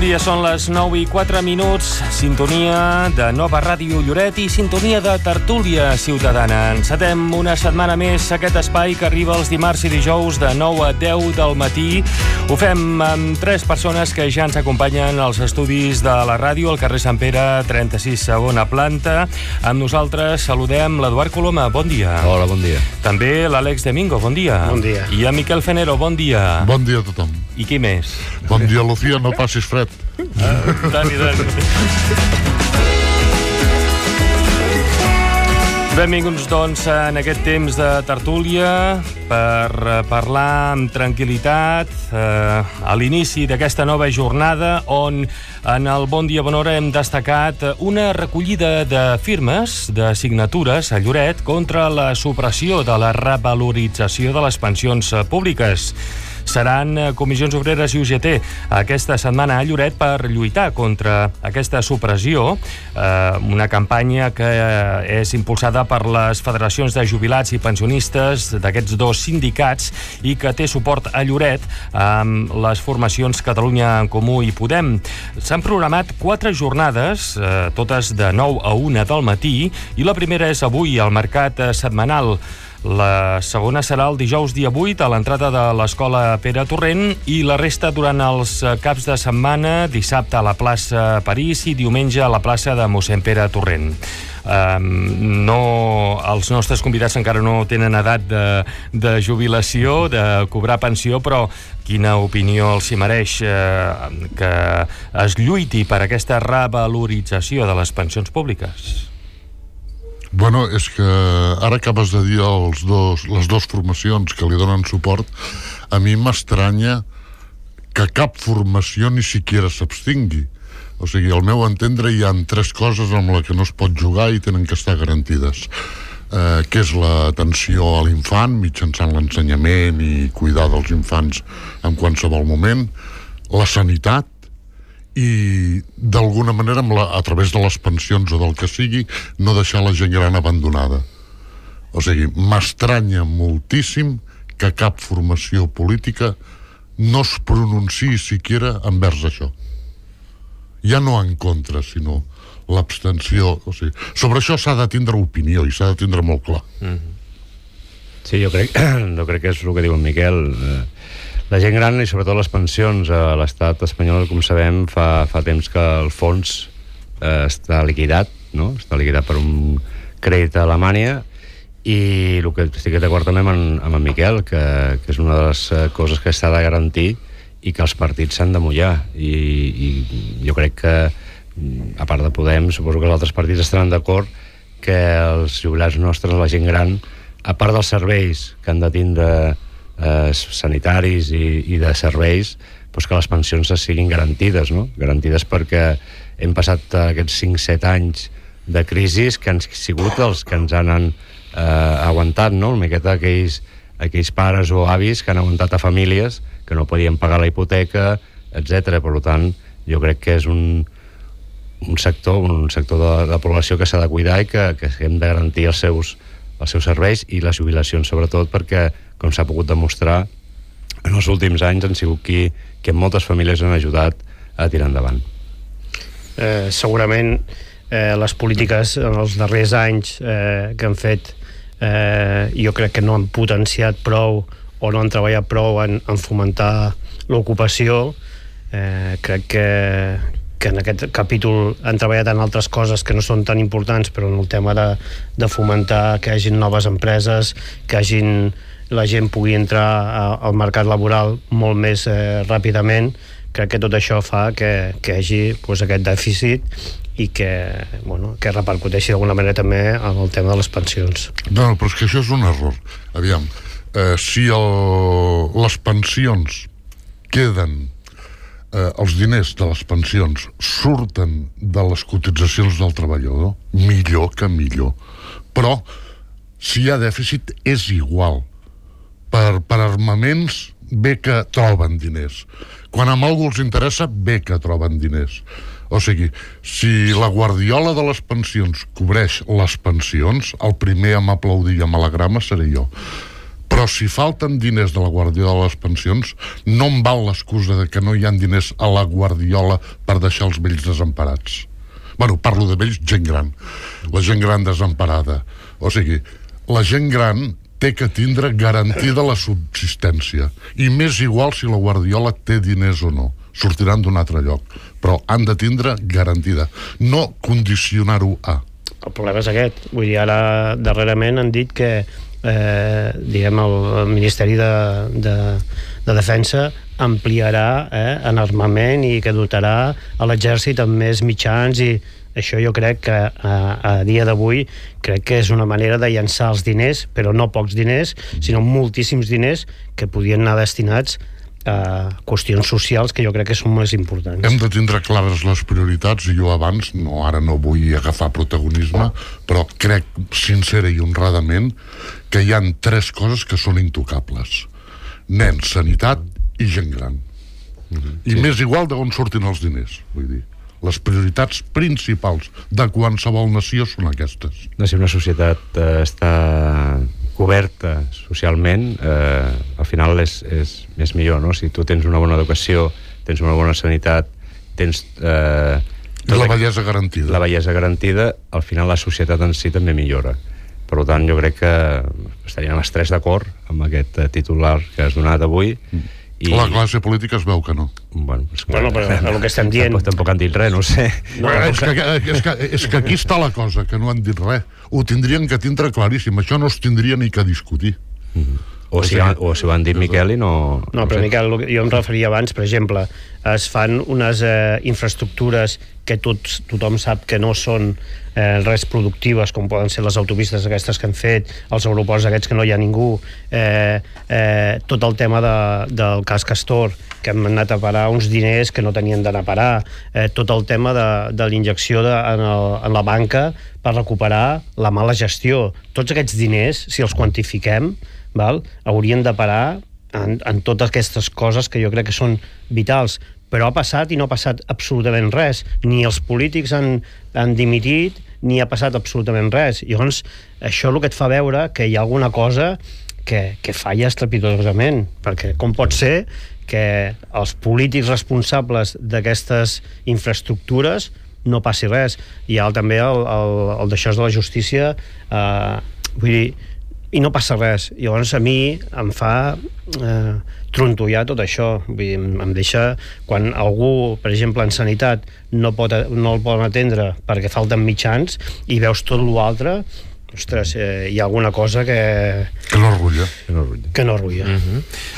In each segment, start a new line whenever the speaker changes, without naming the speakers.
Bon dia, són les 9:04, sintonia de Nova Ràdio Lloret i sintonia de Tertúlia Ciutadana. Encetem una setmana més aquest espai que arriba els dimarts i dijous de 9 a 10 del matí. Ho fem amb 3 persones que ja ens acompanyen als estudis de la ràdio, al carrer Sant Pere, 36, segona planta. Amb nosaltres saludem l'Eduard Coloma, bon dia.
Hola, bon dia.
També l'Àlex Domingo, bon dia.
Bon dia.
I en Miquel Fenero, bon dia.
Bon dia a tothom.
I qui més?
Bon dia, Lucía, no passis fred.
Dani. Benvinguts, doncs, en aquest temps de tertúlia per parlar amb tranquil·litat a l'inici d'aquesta nova jornada on en el Bon Dia Bon Hora hem destacat una recollida de firmes, de signatures a Lloret contra la supressió de la revalorització de les pensions públiques. Seran Comissions Obreres i UGT aquesta setmana a Lloret per lluitar contra aquesta supressió, una campanya que és impulsada per les federacions de jubilats i pensionistes d'aquests dos sindicats i que té suport a Lloret amb les formacions Catalunya en Comú i Podem. S'han programat 4 jornades, totes de 9 a 1 del matí, i la primera és avui al Mercat Setmanal. La segona serà el dijous dia 8 a l'entrada de l'Escola Pere Torrent i la resta durant els caps de setmana, dissabte a la plaça París i diumenge a la plaça de mossèn Pere Torrent. Els nostres convidats encara no tenen edat de jubilació, de cobrar pensió, però quina opinió els hi mereix que es lluiti per aquesta revalorització de les pensions públiques?
Bueno, és que ara acabes de dir les dues formacions que li donen suport. A mi m'estranya que cap formació ni siquiera s'abstingui. O sigui, al meu entendre hi ha 3 coses amb les que no es pot jugar i tenen que estar garantides, que és l'atenció a l'infant mitjançant l'ensenyament i cuidar dels infants en qualsevol moment, la sanitat i d'alguna manera a través de les pensions o del que sigui no deixar la gent gran abandonada. O sigui, m'estranya moltíssim que cap formació política no es pronunciï siquiera envers això, ja no en contra, sinó l'abstenció. O sigui, sobre això s'ha de tindre opinió i s'ha de tindre molt clar.
Sí, jo crec que és el que diu en Miquel. La gent gran i sobretot les pensions a l'estat espanyol, com sabem, fa temps que el fons està liquidat, no? Està liquidat per un crèdit a Alemanya, i el que estic d'acord també amb en Miquel, que és una de les coses que s'ha de garantir i que els partits s'han de mullar. I jo crec que, a part de Podem, suposo que els altres partits estaran d'acord que els jubilats nostres, la gent gran, a part dels serveis que han de tindre sanitaris i de serveis, doncs que les pensions siguin garantides, no? Garantides perquè hem passat aquests 5-7 anys de crisis que han sigut els que ens han aguantat, no? Una miqueta aquells pares o avis que han aguantat a famílies que no podien pagar la hipoteca, etc. Per tant, jo crec que és un sector de la població que s'ha de cuidar i que hem de garantir els seus serveis i les jubilacions, sobretot, perquè, com s'ha pogut demostrar, en els últims anys han sigut que moltes famílies han ajudat a tirar endavant.
Segurament les polítiques en els darrers anys que han fet, jo crec que no han potenciat prou o no han treballat prou en fomentar l'ocupació. Crec que en aquest capítol han treballat en altres coses que no són tan importants, però en el tema de fomentar que hi hagin noves empreses, que la gent pugui entrar al mercat laboral molt més ràpidament. Crec que tot això fa que hi hagi aquest dèficit i que repercuteixi d'alguna manera també en el tema de les pensions.
No, però és que això és un error. Aviam, si les pensions queden, els diners de les pensions surten de les cotitzacions del treballador, millor que millor. Però si hi ha dèficit és igual. Per armaments bé que troben diners. Quan a algú els interessa, bé que troben diners. O sigui, si la guardiola de les pensions cobreix les pensions, el primer a m'aplaudir i a m'alegrar seré jo. Però Però si falten diners de la Guardiola a les pensions, no em val l'excusa de que no hi ha diners a la Guardiola per deixar els vells desemparats. Bueno, parlo de vells, gent gran. La gent gran desemparada. O sigui, la gent gran té que tindre garantida la subsistència. I m'és igual si la Guardiola té diners o no. Sortiran d'un altre lloc. Però han de tindre garantida. No condicionar-ho a.
El problema és aquest. Vull dir, ara darrerament han dit que diguem, el Ministeri de Defensa ampliarà en armament i que dotarà a l'exèrcit amb més mitjans, i això jo crec que a dia d'avui crec que és una manera de llançar els diners, però no pocs diners, sinó moltíssims diners que podien anar destinats a qüestions socials que jo crec que són més importants.
Hem de tindre clares les prioritats, i jo abans, ara no vull agafar protagonisme, però crec sincera i honradament que hi han 3 coses que són intocables: nens, sanitat i gent gran. I m'és igual d'on surtin els diners, vull dir. Les prioritats principals de qualsevol nació són aquestes.
Si una societat està coberta socialment, al final és millor, no? Si tu tens una bona educació, tens una bona sanitat, tens...
I la bellesa garantida.
La bellesa garantida, al final la societat en si també millora. Per tant, jo crec que estaríem els 3 d'acord amb aquest titular que has donat avui.
La classe política es veu que no.
Bueno,
però el que estem dient...
Tampoc han dit res, no ho sé.
És que aquí està la cosa, que no han dit res. Ho tindrien que tindre claríssim. Això no es tindria ni que discutir.
O si ho han dit Miquel i no...
No, però Miquel, jo em referia abans, per exemple, es fan unes infraestructures que tothom sap que no són res productives, com poden ser les autopistes aquestes que han fet, els aeroports aquests que no hi ha ningú, tot el tema del cas Castor, que hem anat a parar uns diners que no tenien d'anar a parar, tot el tema de l'injecció en la banca per recuperar la mala gestió. Tots aquests diners, si els quantifiquem, haurien de parar en totes aquestes coses que jo crec que són vitals. Però ha passat i no ha passat absolutament res. Ni els polítics han dimitit, ni ha passat absolutament res. Llavors, això el que et fa veure que hi ha alguna cosa que falla estrepitosament, perquè com pot ser que els polítics responsables d'aquestes infraestructures no passi res. Hi ha també el d'això de la justícia, vull dir, i no passa res. Llavors a mi em fa trontollar tot això. Vull dir, em deixa, quan algú, per exemple, en sanitat no el poden atendre perquè falten mitjans, i veus tot l'altre, ostres, hi ha alguna cosa que
no arrulla.
Que no arrulla.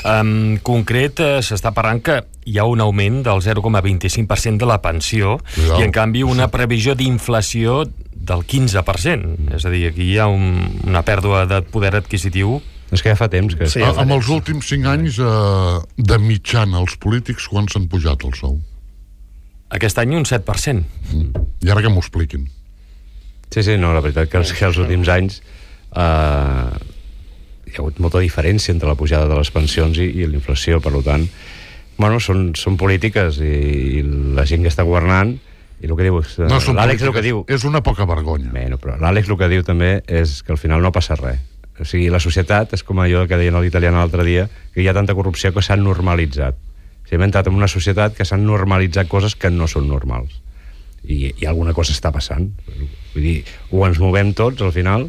En concret, s'està parlant que hi ha un augment del 0,25% de la pensió, i en canvi una previsió d'inflació del 15%. És a dir, aquí hi ha una pèrdua de poder adquisitiu.
És que ja fa temps que...
Sí, amb els últims 5 anys de mitjana els polítics quan s'han pujat el sou?
Aquest any un 7%.
I ara que m'ho expliquin.
Sí, no, la veritat que els últims anys hi ha hagut molta diferència entre la pujada de les pensions i l'inflació. Per tant, bueno, són polítiques, i la gent que està governant, i el que diu, l'Àlex el que diu...
És una poca vergonya.
Bueno, però l'Àlex el que diu també és que al final no passa res. O sigui, la societat és com allò que deien a l'italià l'altre dia, que hi ha tanta corrupció que s'ha normalitzat. O sigui, hem entrat en una societat que s'han normalitzat coses que no són normals. I alguna cosa està passant. Vull dir, o ens movem tots al final,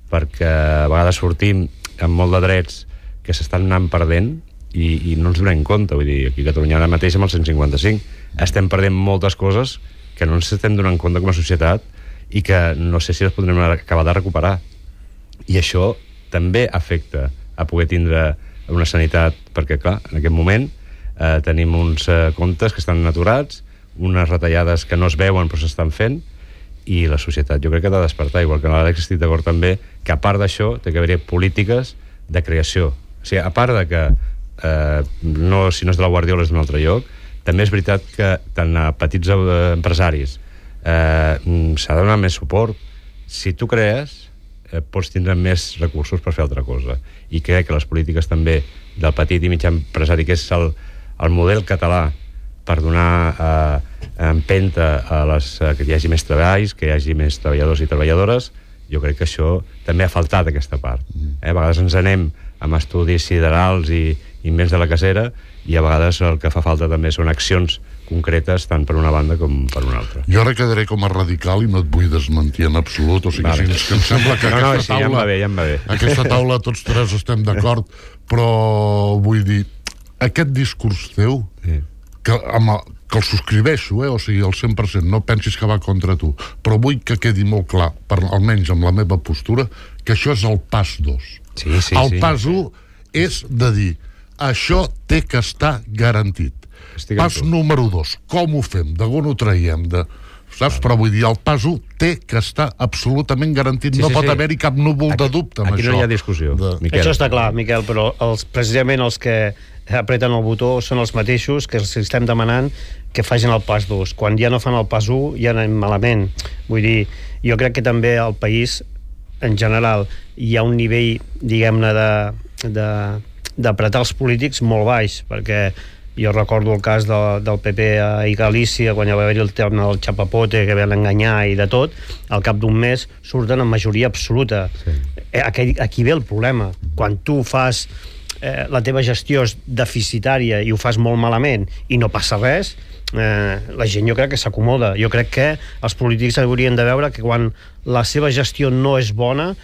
perquè a vegades sortim amb molt de drets que s'estan anant perdent i no ens donem compte. Vull dir, aquí a Catalunya ara mateix amb el 155 estem perdent moltes coses que no ens estem donant compte com a societat i que no sé si les podrem acabar de recuperar. I això també afecta a poder tindre una sanitat, perquè clar, en aquest moment tenim uns comptes que estan aturats, unes retallades que no es veuen però s'estan fent, i la societat jo crec que ha de despertar, igual que l'Àlex estic d'acord també, que a part d'això té que haver-hi polítiques de creació. O sigui, a part de que si no és de la Guardiola és d'un altre lloc, també és veritat que tant a petits empresaris s'ha de donar més suport. Si tu crees, pots tindre més recursos per fer altra cosa. I crec que les polítiques també del petit i mitjà empresari, que és el model català per donar empenta a que hi hagi més treballs, que hi hagi més treballadors i treballadores, jo crec que això també ha faltat, aquesta part. A vegades ens anem amb estudis siderals i invents de la casera, i a vegades el que fa falta també són accions concretes tant per una banda com per una altra.
Jo ara quedaré com a radical i no et vull desmentir en absolut, o sigui,
Vale.
és que em sembla que aquesta taula...
Ja em va bé.
Aquesta taula tots tres estem d'acord, però vull dir, aquest discurs teu, que el subscriveixo, o sigui, al 100%, no pensis que va contra tu, però vull que quedi molt clar, almenys amb la meva postura, que això és el pas 2. El pas 1 és de dir, això té que estar garantit. Pas número 2, com ho fem? D'on ho traiem? Saps? Però vull dir, el pas 1 té que estar absolutament garantit. No pot haver-hi cap núvol de dubte amb això.
Aquí no hi ha discussió, Miquel.
Això està clar, Miquel, però precisament els que apreten el botó són els mateixos que els estem demanant que facin el pas 2. Quan ja no fan el pas 1 ja anem malament. Vull dir, jo crec que també al país en general hi ha un nivell, diguem-ne, d'apretar els polítics molt baix, perquè jo recordo el cas del PP a Galícia, quan hi va haver el tema del chapapote, que van enganyar i de tot, al cap d'un mes surten en majoria absoluta. Aquí ve el problema. Quan tu fas la teva gestió és deficitària i ho fas molt malament i no passa res, la gent jo crec que s'acomoda. Jo crec que els polítics haurien de veure que quan la seva gestió no és bona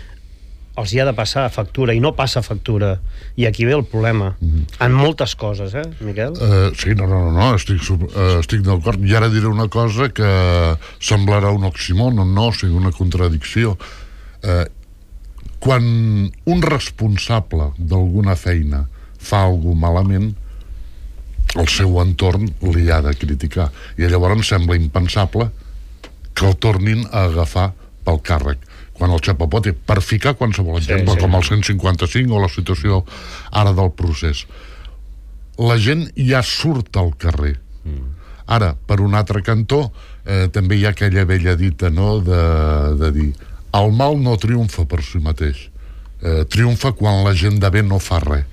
els hi ha de passar factura, i no passa factura, i aquí ve el problema en moltes coses, Miquel?
Sí, no, estic d'acord. I ara diré una cosa que semblarà un oxímoron, no, o sigui, una contradicció. Quan un responsable d'alguna feina fa alguna malament, el seu entorn li ha de criticar, i llavors sembla impensable que el tornin a agafar pel càrrec. Quan el chapapote, per ficar qualsevol exemple, com el 155 o la situació ara del procés, la gent ja surt al carrer. Ara, per un altre cantó, també hi ha aquella vella dita, no?, de dir, el mal no triomfa per si mateix, triomfa quan la gent de bé no fa res.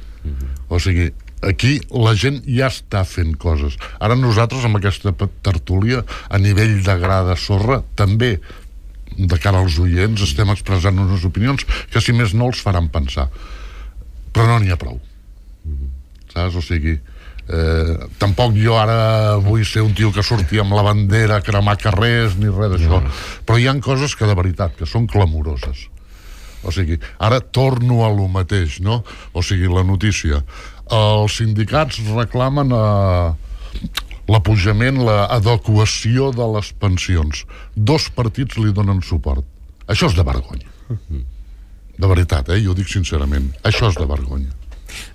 O sigui, aquí la gent ja està fent coses. Ara nosaltres, amb aquesta tertúlia, a nivell de gra de sorra, també de cara als oients estem expressant unes opinions que, si més no, els faran pensar. Però no n'hi ha prou. Saps? O sigui, tampoc jo ara vull ser un tio que surti amb la bandera a cremar carrers ni res d'això, però hi ha coses que de veritat que són clamoroses. O sigui, ara torno a lo mateix, no? O sigui, la notícia, els sindicats reclamen l'apujament, l'adequació de les pensions. 2 partits li donen suport. Això és de vergonya. De veritat, jo ho dic sincerament. Això és de vergonya.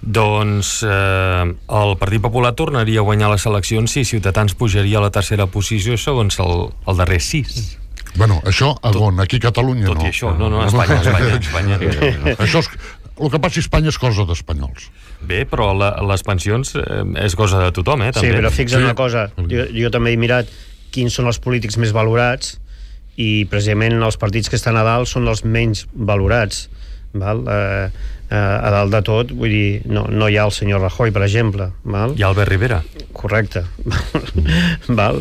Doncs el Partit Popular tornaria a guanyar les eleccions si Ciutadans pujaria a la tercera posició segons el darrer 6.
Bueno, això a on? Aquí a Catalunya no.
Tot i això, no, a Espanya.
Això és... El que passi a Espanya és cosa d'espanyols.
Bé, però les pensions és cosa de tothom, també.
Sí, però fixa't una cosa. Jo també he mirat quins són els polítics més valorats i precisament els partits que estan a dalt són els menys valorats. Val? A dalt de tot, vull dir, no hi ha el senyor Rajoy, per exemple. Val?
Hi ha Albert Rivera.
Correcte. Val?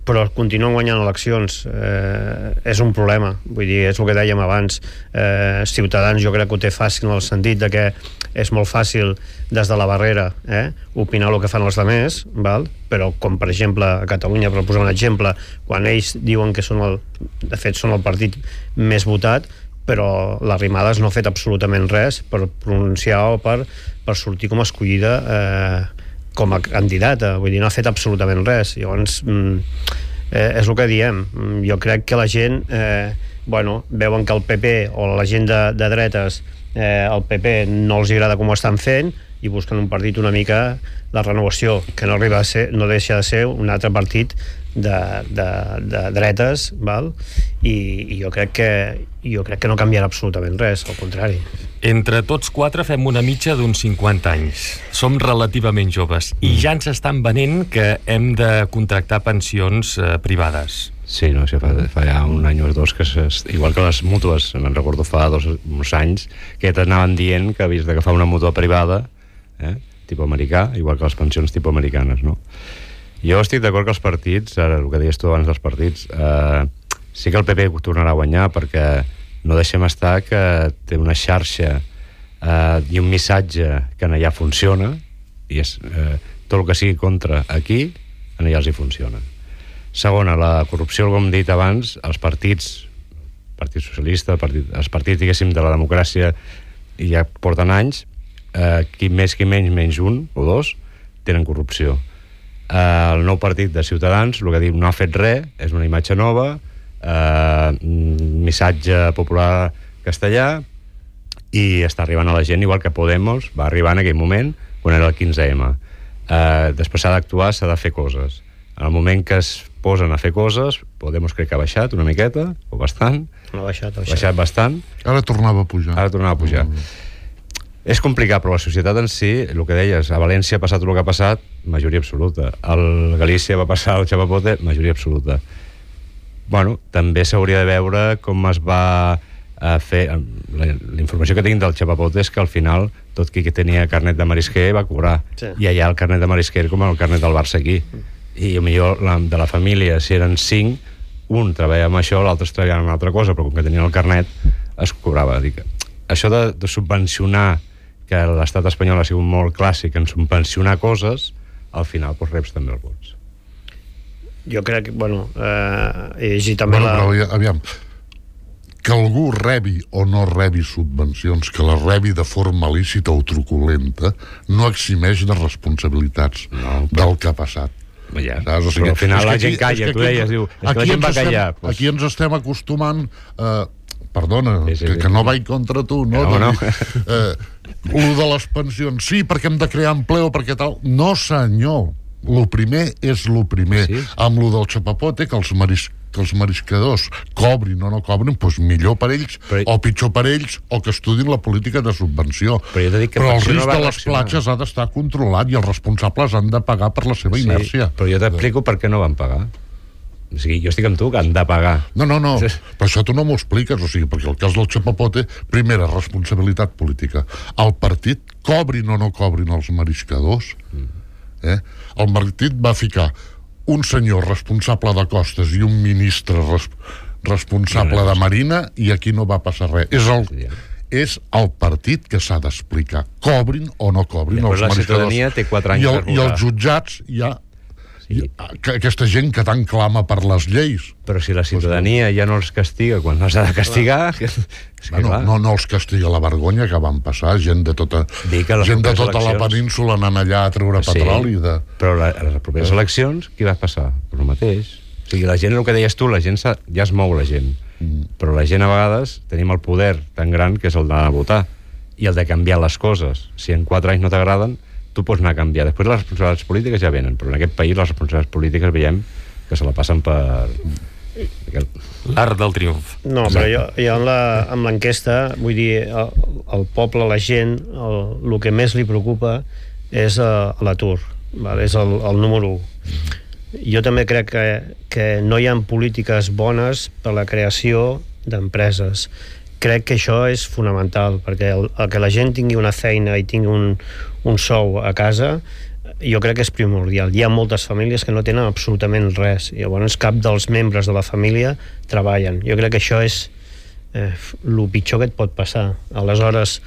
Però continuen guanyant eleccions. És un problema. Vull dir, és el que dèiem abans. Ciutadans jo crec que ho té fàcil en el sentit de que és molt fàcil des de la barrera opinar el que fan els altres, val? Però com per exemple a Catalunya, per posar un exemple, quan ells diuen que de fet són el partit més votat, però l'Arrimadas no ha fet absolutament res per pronunciar o per sortir com a escollida com a candidata, vull dir, no ha fet absolutament res. Llavors és el que diem. Jo crec que la gent veuen que el PP o la gent de dretes, el PP no els agrada com ho estan fent i busquen un partit una mica de renovació, que no deixa de ser un altre partit de dretes, val? I jo crec que no canviarà absolutament res, al contrari.
Entre tots 4 fem una mitja d'uns 50 anys. Som relativament joves i ja ens estan venent que hem de contractar pensions privades.
Sí, no, fa ja un any o 2 que igual que les mútues, me'n recordo fa uns anys que t'anaven dient que havies d'agafar una mútua privada, tipus americà, igual que les pensions tipus americanes, no? Jo estic d'acord que els partits, ara el que deies tu abans dels partits, Sí que el PP tornarà a guanyar, perquè no deixem estar que té una xarxa i un missatge que allà funciona, i és tot el que sigui contra aquí, allà els hi funciona. Segona, la corrupció, com hem dit abans, els partits, Partit Socialista, els partits, diguéssim, de la democràcia, ja porten anys, qui més, qui menys un o dos, tenen corrupció. El nou partit de Ciutadans, el que diu, no ha fet res, és una imatge nova, missatge popular castellà, i està arribant a la gent, igual que Podemos va arribar en aquell moment, quan era el 15M. Després s'ha d'actuar, s'ha de fer coses. En el moment que es posen a fer coses, Podemos crec que ha baixat una miqueta, o bastant.
Ha baixat
bastant.
Ara tornava a pujar.
És complicat, però la societat en si, el que deies, a València ha passat el que ha passat, majoria absoluta. Al Galícia va passar el Chapapote, majoria absoluta. Bueno, també s'hauria de veure com es va fer... La informació que tinc del Chapapote és que al final tot qui tenia carnet de marisquer va cobrar. Sí. I allà el carnet de marisquer com el carnet del Barça aquí. I millor de la família, si eren 5, un treballava amb això, l'altre treballava amb una altra cosa, però com que tenien el carnet es cobrava. Això de subvencionar, que l'estat espanyol ha sigut molt clàssic en subvencionar coses, al final reps també els vots.
Jo crec que, he llegit també
però, aviam, que algú rebi o no rebi subvencions, que les rebi de forma lícita o truculenta, no eximeix de responsabilitats del que ha passat.
Ja, però al final la gent calla, tu deies, diu, la gent va callar.
Aquí ens estem acostumant, perdona, que no vaig contra tu, no? Lo de les pensions, sí, perquè hem de crear empleo, perquè tal... No, senyor, lo primer és lo primer. Amb lo del Chapapote, que els mariscadors cobrin o no cobrin, doncs millor per ells, o pitjor per ells, o que estudin la política de subvenció. Però el risc de les platges ha d'estar controlat i els responsables han de pagar per la seva inèrcia.
Però jo t'explico per què no van pagar. O sigui, jo estic amb tu, que han de pagar.
No, però això tu no m'ho expliques, o sigui, perquè el cas del Chapapote, primera, responsabilitat política. El partit, cobrin o no cobrin els mariscadors, el partit va ficar un senyor responsable de costes i un ministre responsable de marina, i aquí no va passar res. És el partit que s'ha d'explicar, cobrin o no cobrin els mariscadors.
La ciutadania té 4 anys per votar.
I els jutjats ja... Aquesta gent que tant clama per les lleis.
Però si la ciutadania ja no els castiga quan no s'ha de castigar...
No els castiga la vergonya que van passar, gent de tota la península anant allà a treure petroli.
Però a les properes eleccions, què va passar? El mateix. O sigui, la gent, el que deies tu, la gent ja es mou, la gent. Però la gent, a vegades, tenim el poder tan gran que és el d'anar a votar i el de canviar les coses. Si en 4 anys no t'agraden, tu pots anar a canviar. Després les responsabilitats polítiques ja venen, però en aquest país les responsabilitats polítiques veiem que se la passen per...
l'art del triomf.
No, però jo amb l'enquesta, vull dir, el poble, la gent, el que més li preocupa és l'atur, és el número 1. Jo també crec que no hi ha polítiques bones per la creació d'empreses. Crec que això és fonamental, perquè el que la gent tingui una feina i tingui un sou a casa, jo crec que és primordial. Hi ha moltes famílies que no tenen absolutament res, i llavors cap dels membres de la família treballen. Jo crec que això és el pitjor que et pot passar. Aleshores,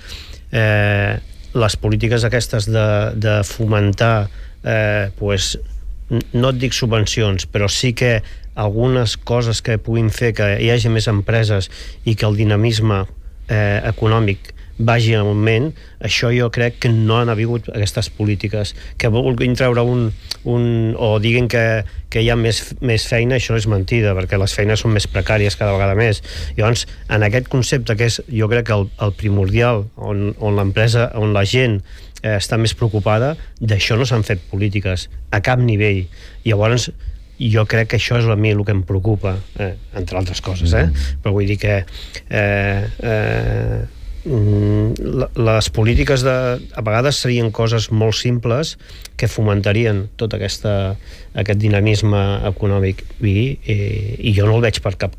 les polítiques aquestes de fomentar, no et dic subvencions, però sí que algunes coses que puguin fer que hi hagi més empreses i que el dinamisme econòmic vagi en augment, això jo crec que no han hagut aquestes polítiques. Que vulguin treure o diguin que hi ha més feina, això és mentida, perquè les feines són més precàries cada vegada més. Llavors, en aquest concepte que és, jo crec que el primordial, on l'empresa, on la gent està més preocupada, d'això no s'han fet polítiques a cap nivell. Llavors, jo crec que això és a mi el que em preocupa, entre altres coses, però vull dir que les polítiques a vegades serien coses molt simples que fomentarien tot aquest dinamisme econòmic i jo no el veig per cap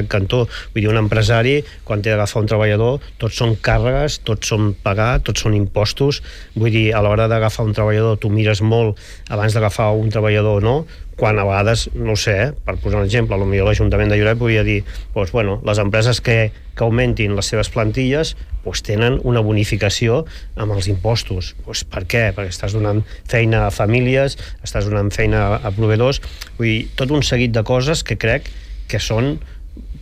cantó. Vull dir, un empresari, quan té d'agafar un treballador, tots són càrregues, tots són pagar, tots són impostos. Vull dir, a l'hora d'agafar un treballador tu mires molt abans d'agafar un treballador o no, quan a vegades, no ho sé, per posar un exemple, potser l'Ajuntament de Lloret podria dir, doncs, bueno, les empreses que augmentin les seves plantilles tenen una bonificació amb els impostos. Per què? Perquè estàs donant feina a famílies, estàs donant feina a proveïdors, vull dir, tot un seguit de coses que crec que són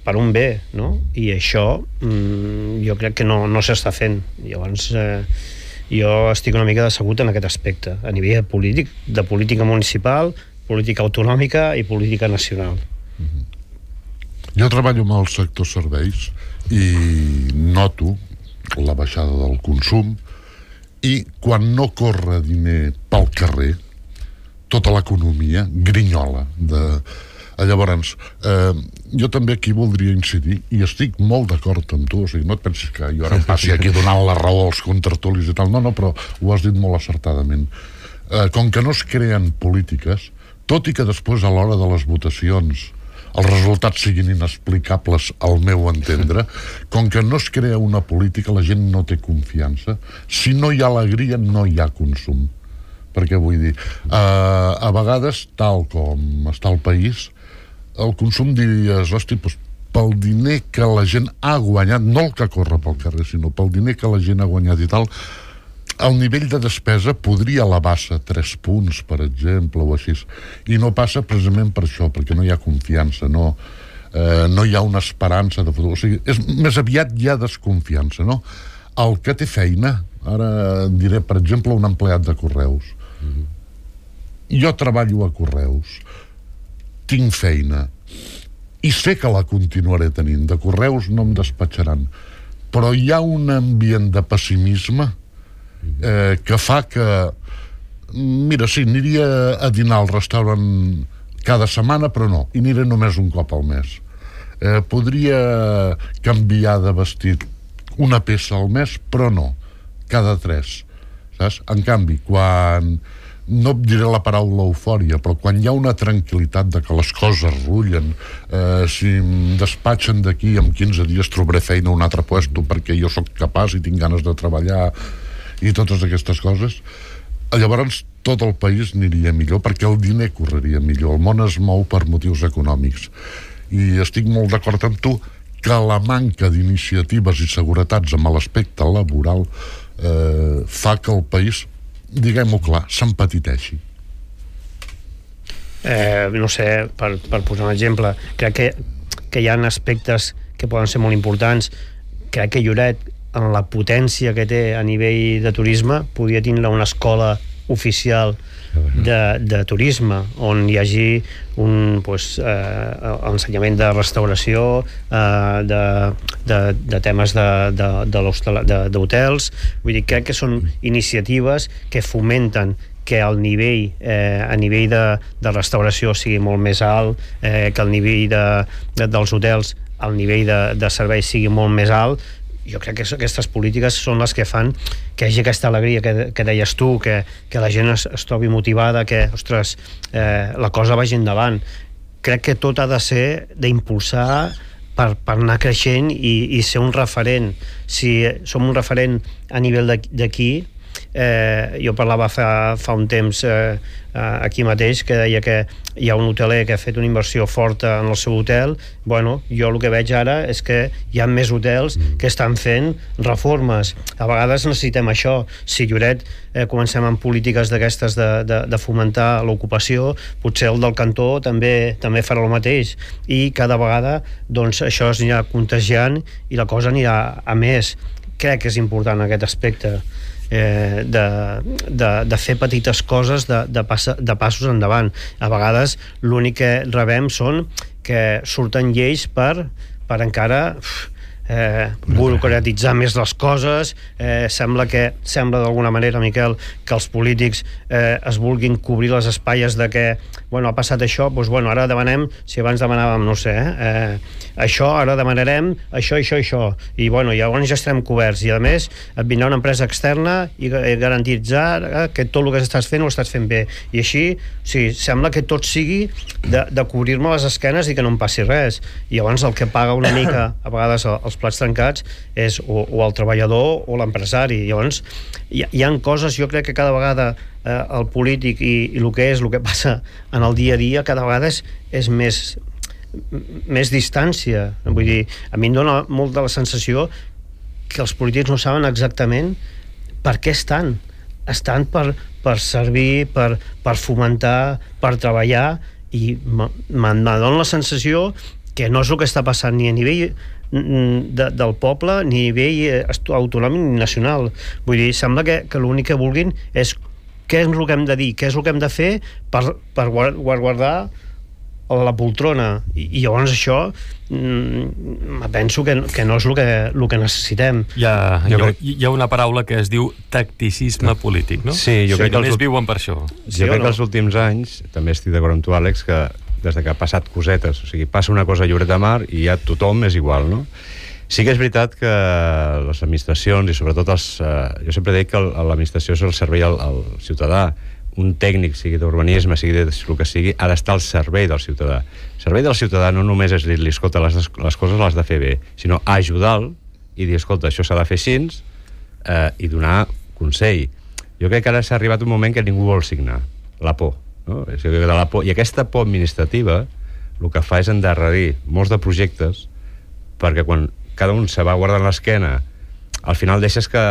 per un bé, no? I això jo crec que no s'està fent. Llavors jo estic una mica decebut en aquest aspecte, a nivell polític, de política municipal, política autonòmica i política nacional.
Jo treballo amb el sector serveis i noto la baixada del consum i quan no corre diner pel carrer tota l'economia grinyola llavors jo també aquí voldria incidir i estic molt d'acord amb tu, o sigui, no et pensis que jo ara em passi aquí donant la raó als contertulis i tal, no, però ho has dit molt acertadament. Com que no es creen polítiques, tot i que després a l'hora de les votacions els resultats siguin inexplicables al meu entendre, com que no es crea una política, la gent no té confiança. Si no hi ha alegria, no hi ha consum. Perquè vull dir, a vegades, tal com està el país, el consum diries, hosti, doncs, pel diner que la gent ha guanyat, no el que corre pel carrer, sinó pel diner que la gent ha guanyat i tal, el nivell de despesa podria elevar-se 3 punts, per exemple, o així. I no passa precisament per això, perquè no hi ha confiança, no hi ha una esperança de futur. O sigui, més aviat hi ha desconfiança, no? El que té feina, ara diré, per exemple, un empleat de Correus. Jo treballo a Correus, tinc feina, i sé que la continuaré tenint. De Correus no em despatxaran. Però hi ha un ambient de pessimisme que fa que mira, sí, aniria a dinar al restaurant cada setmana, però no, i aniré només un cop al mes. Podria canviar de vestit una peça al mes, però no, cada 3, saps? En canvi, quan no et diré la paraula eufòria, però quan hi ha una tranquil·litat de que les coses rullen, si em despatxen d'aquí en 15 dies trobaré feina a un altre puesto perquè jo sóc capaç i tinc ganes de treballar i totes aquestes coses, llavors tot el país aniria millor perquè el diner correria millor. El món es mou per motius econòmics i estic molt d'acord amb tu que la manca d'iniciatives i seguretats amb l'aspecte laboral fa que el país, diguem-ho clar, s'empetiteixi.
No sé, per posar un exemple, crec que hi ha aspectes que poden ser molt importants. Crec que Lloret, en la potència que té a nivell de turisme, podria tindre una escola oficial de turisme on hi hagi ensenyament de restauració, de temes d'hotels. Vull dir, crec que són iniciatives que fomenten que el nivell a nivell de restauració sigui molt més alt, que el nivell dels hotels, el nivell de serveis sigui molt més alt. Jo crec que aquestes polítiques són les que fan que hi hagi aquesta alegria que deies tu, que la gent es trobi motivada, que, ostres, la cosa vagi endavant. Crec que tot ha de ser d'impulsar per anar creixent i ser un referent. Si som un referent a nivell d'aquí, jo parlava fa un temps aquí mateix, que deia que hi ha un hoteler que ha fet una inversió forta en el seu hotel. Bueno, jo el que veig ara és que hi ha més hotels que estan fent reformes. A vegades necessitem això. Si Lloret comencem amb polítiques d'aquestes de fomentar l'ocupació, potser el del cantó també farà el mateix, i cada vegada doncs això es anirà contagiant i la cosa anirà a més. Crec que és important aquest aspecte de fer petites coses, de passos endavant. A vegades l'únic que rebem són que surten lleis per encara burocratitzar més les coses. Sembla d'alguna manera, Miquel, que els polítics es vulguin cobrir les espatlles de que ha passat això, doncs ara demanem, si abans demanàvem, no sé, això, ara demanarem això, i llavors ja estarem coberts, i a més et vindrà una empresa externa i garantitzar que tot el que estàs fent ho estàs fent bé, i així, sembla que tot sigui de cobrir-me les esquenes i que no em passi res, i llavors el que paga una mica a vegades els plats trencats és o el treballador o l'empresari. Llavors hi ha coses, jo crec que cada vegada el polític i el que passa en el dia a dia cada vegada és més distància. Vull dir, a mi em dona molt de la sensació que els polítics no saben exactament per què estan per servir, per fomentar, per treballar, i me dona la sensació que no és el que està passant ni a nivell del poble, ni a nivell autonòmic ni nacional. Vull dir, sembla que l'únic que vulguin és què és el que hem de dir, què és el que hem de fer per guardar la poltrona, i llavors això penso que no és el que necessitem.
Hi ha una paraula que es diu tacticisme polític, no?
Sí, jo crec que
només viuen per això.
Jo crec que els últims anys, també estic d'acord amb tu, Àlex, que des que ha passat cosetes, o sigui, passa una cosa a Lloret de Mar i ja tothom és igual, no? Sí que és veritat que les administracions i sobretot jo sempre dic que l'administració és el servei al ciutadà. Un tècnic, sigui d'urbanisme, sigui de el que sigui, ha d'estar al servei del ciutadà. El servei del ciutadà no només és dir-li, escolta, les coses les de fer bé, sinó ajudar-lo i dir, escolta, això s'ha de fer així, i donar consell. Jo crec que ara s'ha arribat un moment que ningú vol signar. La por, no? I aquesta por administrativa el que fa és endarrerir molts de projectes, perquè quan cada un se va guardant l'esquena, al final deixes que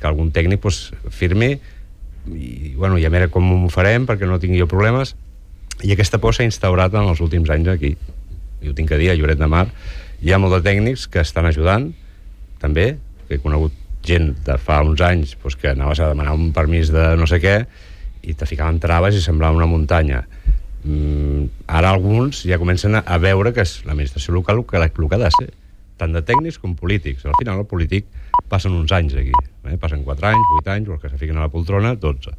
algun tècnic firmi i a veure com ho farem perquè no tingui jo problemes, i aquesta por s'ha instaurat en els últims anys aquí. Jo ho tinc que dir, a Lloret de Mar hi ha molt de tècnics que estan ajudant també, que he conegut gent de fa uns anys que anaves a demanar un permís de no sé què i te ficaven traves i semblava una muntanya. Ara alguns ja comencen a veure que és l'administració local el que ha de ser, tant de tècnics com polítics. Al final el polític passen uns anys aquí, passen 4 anys, 8 anys, o els que se fiquen a la poltrona, 12.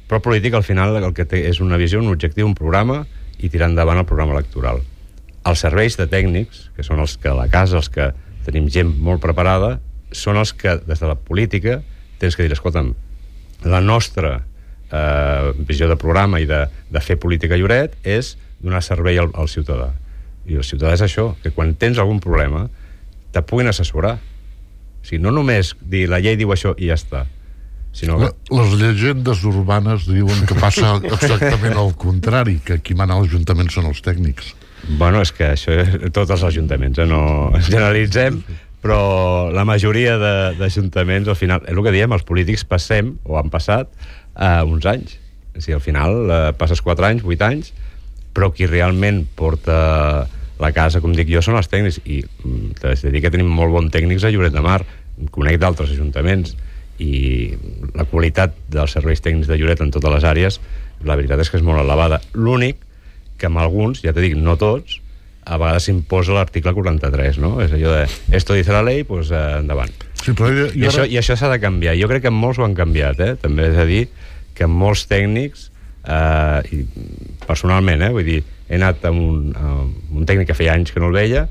Però el polític al final el que té és una visió, un objectiu, un programa, i tirar endavant el programa electoral. Els serveis de tècnics, que són els que a la casa, els que tenim gent molt preparada, són els que des de la política tens que dir, escolta'm, la nostra visió de programa i de fer política a Lloret és donar servei al ciutadà. I el ciutadà és això, que quan tens algun problema te puguin assessorar. O sigui, no només dir la llei diu això i ja està, sinó que...
Les llegendes urbanes diuen que passa exactament al contrari, que qui mana a l'Ajuntament són els tècnics.
Bueno, és que això tots els ajuntaments, no generalitzem, però la majoria d'ajuntaments, al final, és el que diem, els polítics passem, o han passat, uns anys. O sigui, al final passes 4 anys, 8 anys, però qui realment porta la casa, com dic jo, són els tècnics, i t'haig de dir que tenim molt bons tècnics a Lloret de Mar, conec d'altres ajuntaments, i la qualitat dels serveis tècnics de Lloret en totes les àrees, la veritat és que és molt elevada. L'únic que amb alguns, ja t'he dit, no tots, a vegades s'imposa l'article 43, no? És allò de, esto dice la ley, pues endavant.
Sí, però
I això s'ha de canviar. Jo crec que molts ho han canviat, també és a dir que molts tècnics, i personalment, vull dir, he anat amb un tècnic que feia anys que no el veia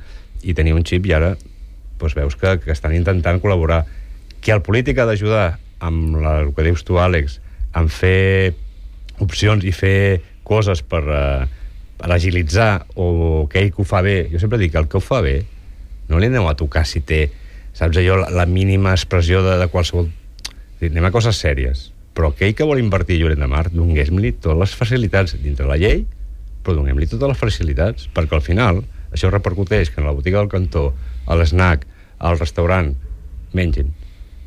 i tenia un xip, i ara veus que estan intentant col·laborar. Que el polític ha d'ajudar amb el que dius tu, Àlex, en fer opcions i fer coses per agilitzar, o que ell que ho fa bé. Jo sempre dic que el que ho fa bé no li aneu a tocar si té, saps allò, la mínima expressió de qualsevol... Anem a coses sèries, però aquell que vol invertir a Lloret de Mar, donem-li totes les facilitats dintre la llei, però donem-li totes les facilitats, perquè al final això repercuteix que en la botiga del cantó, a l'esnac, al restaurant, mengin.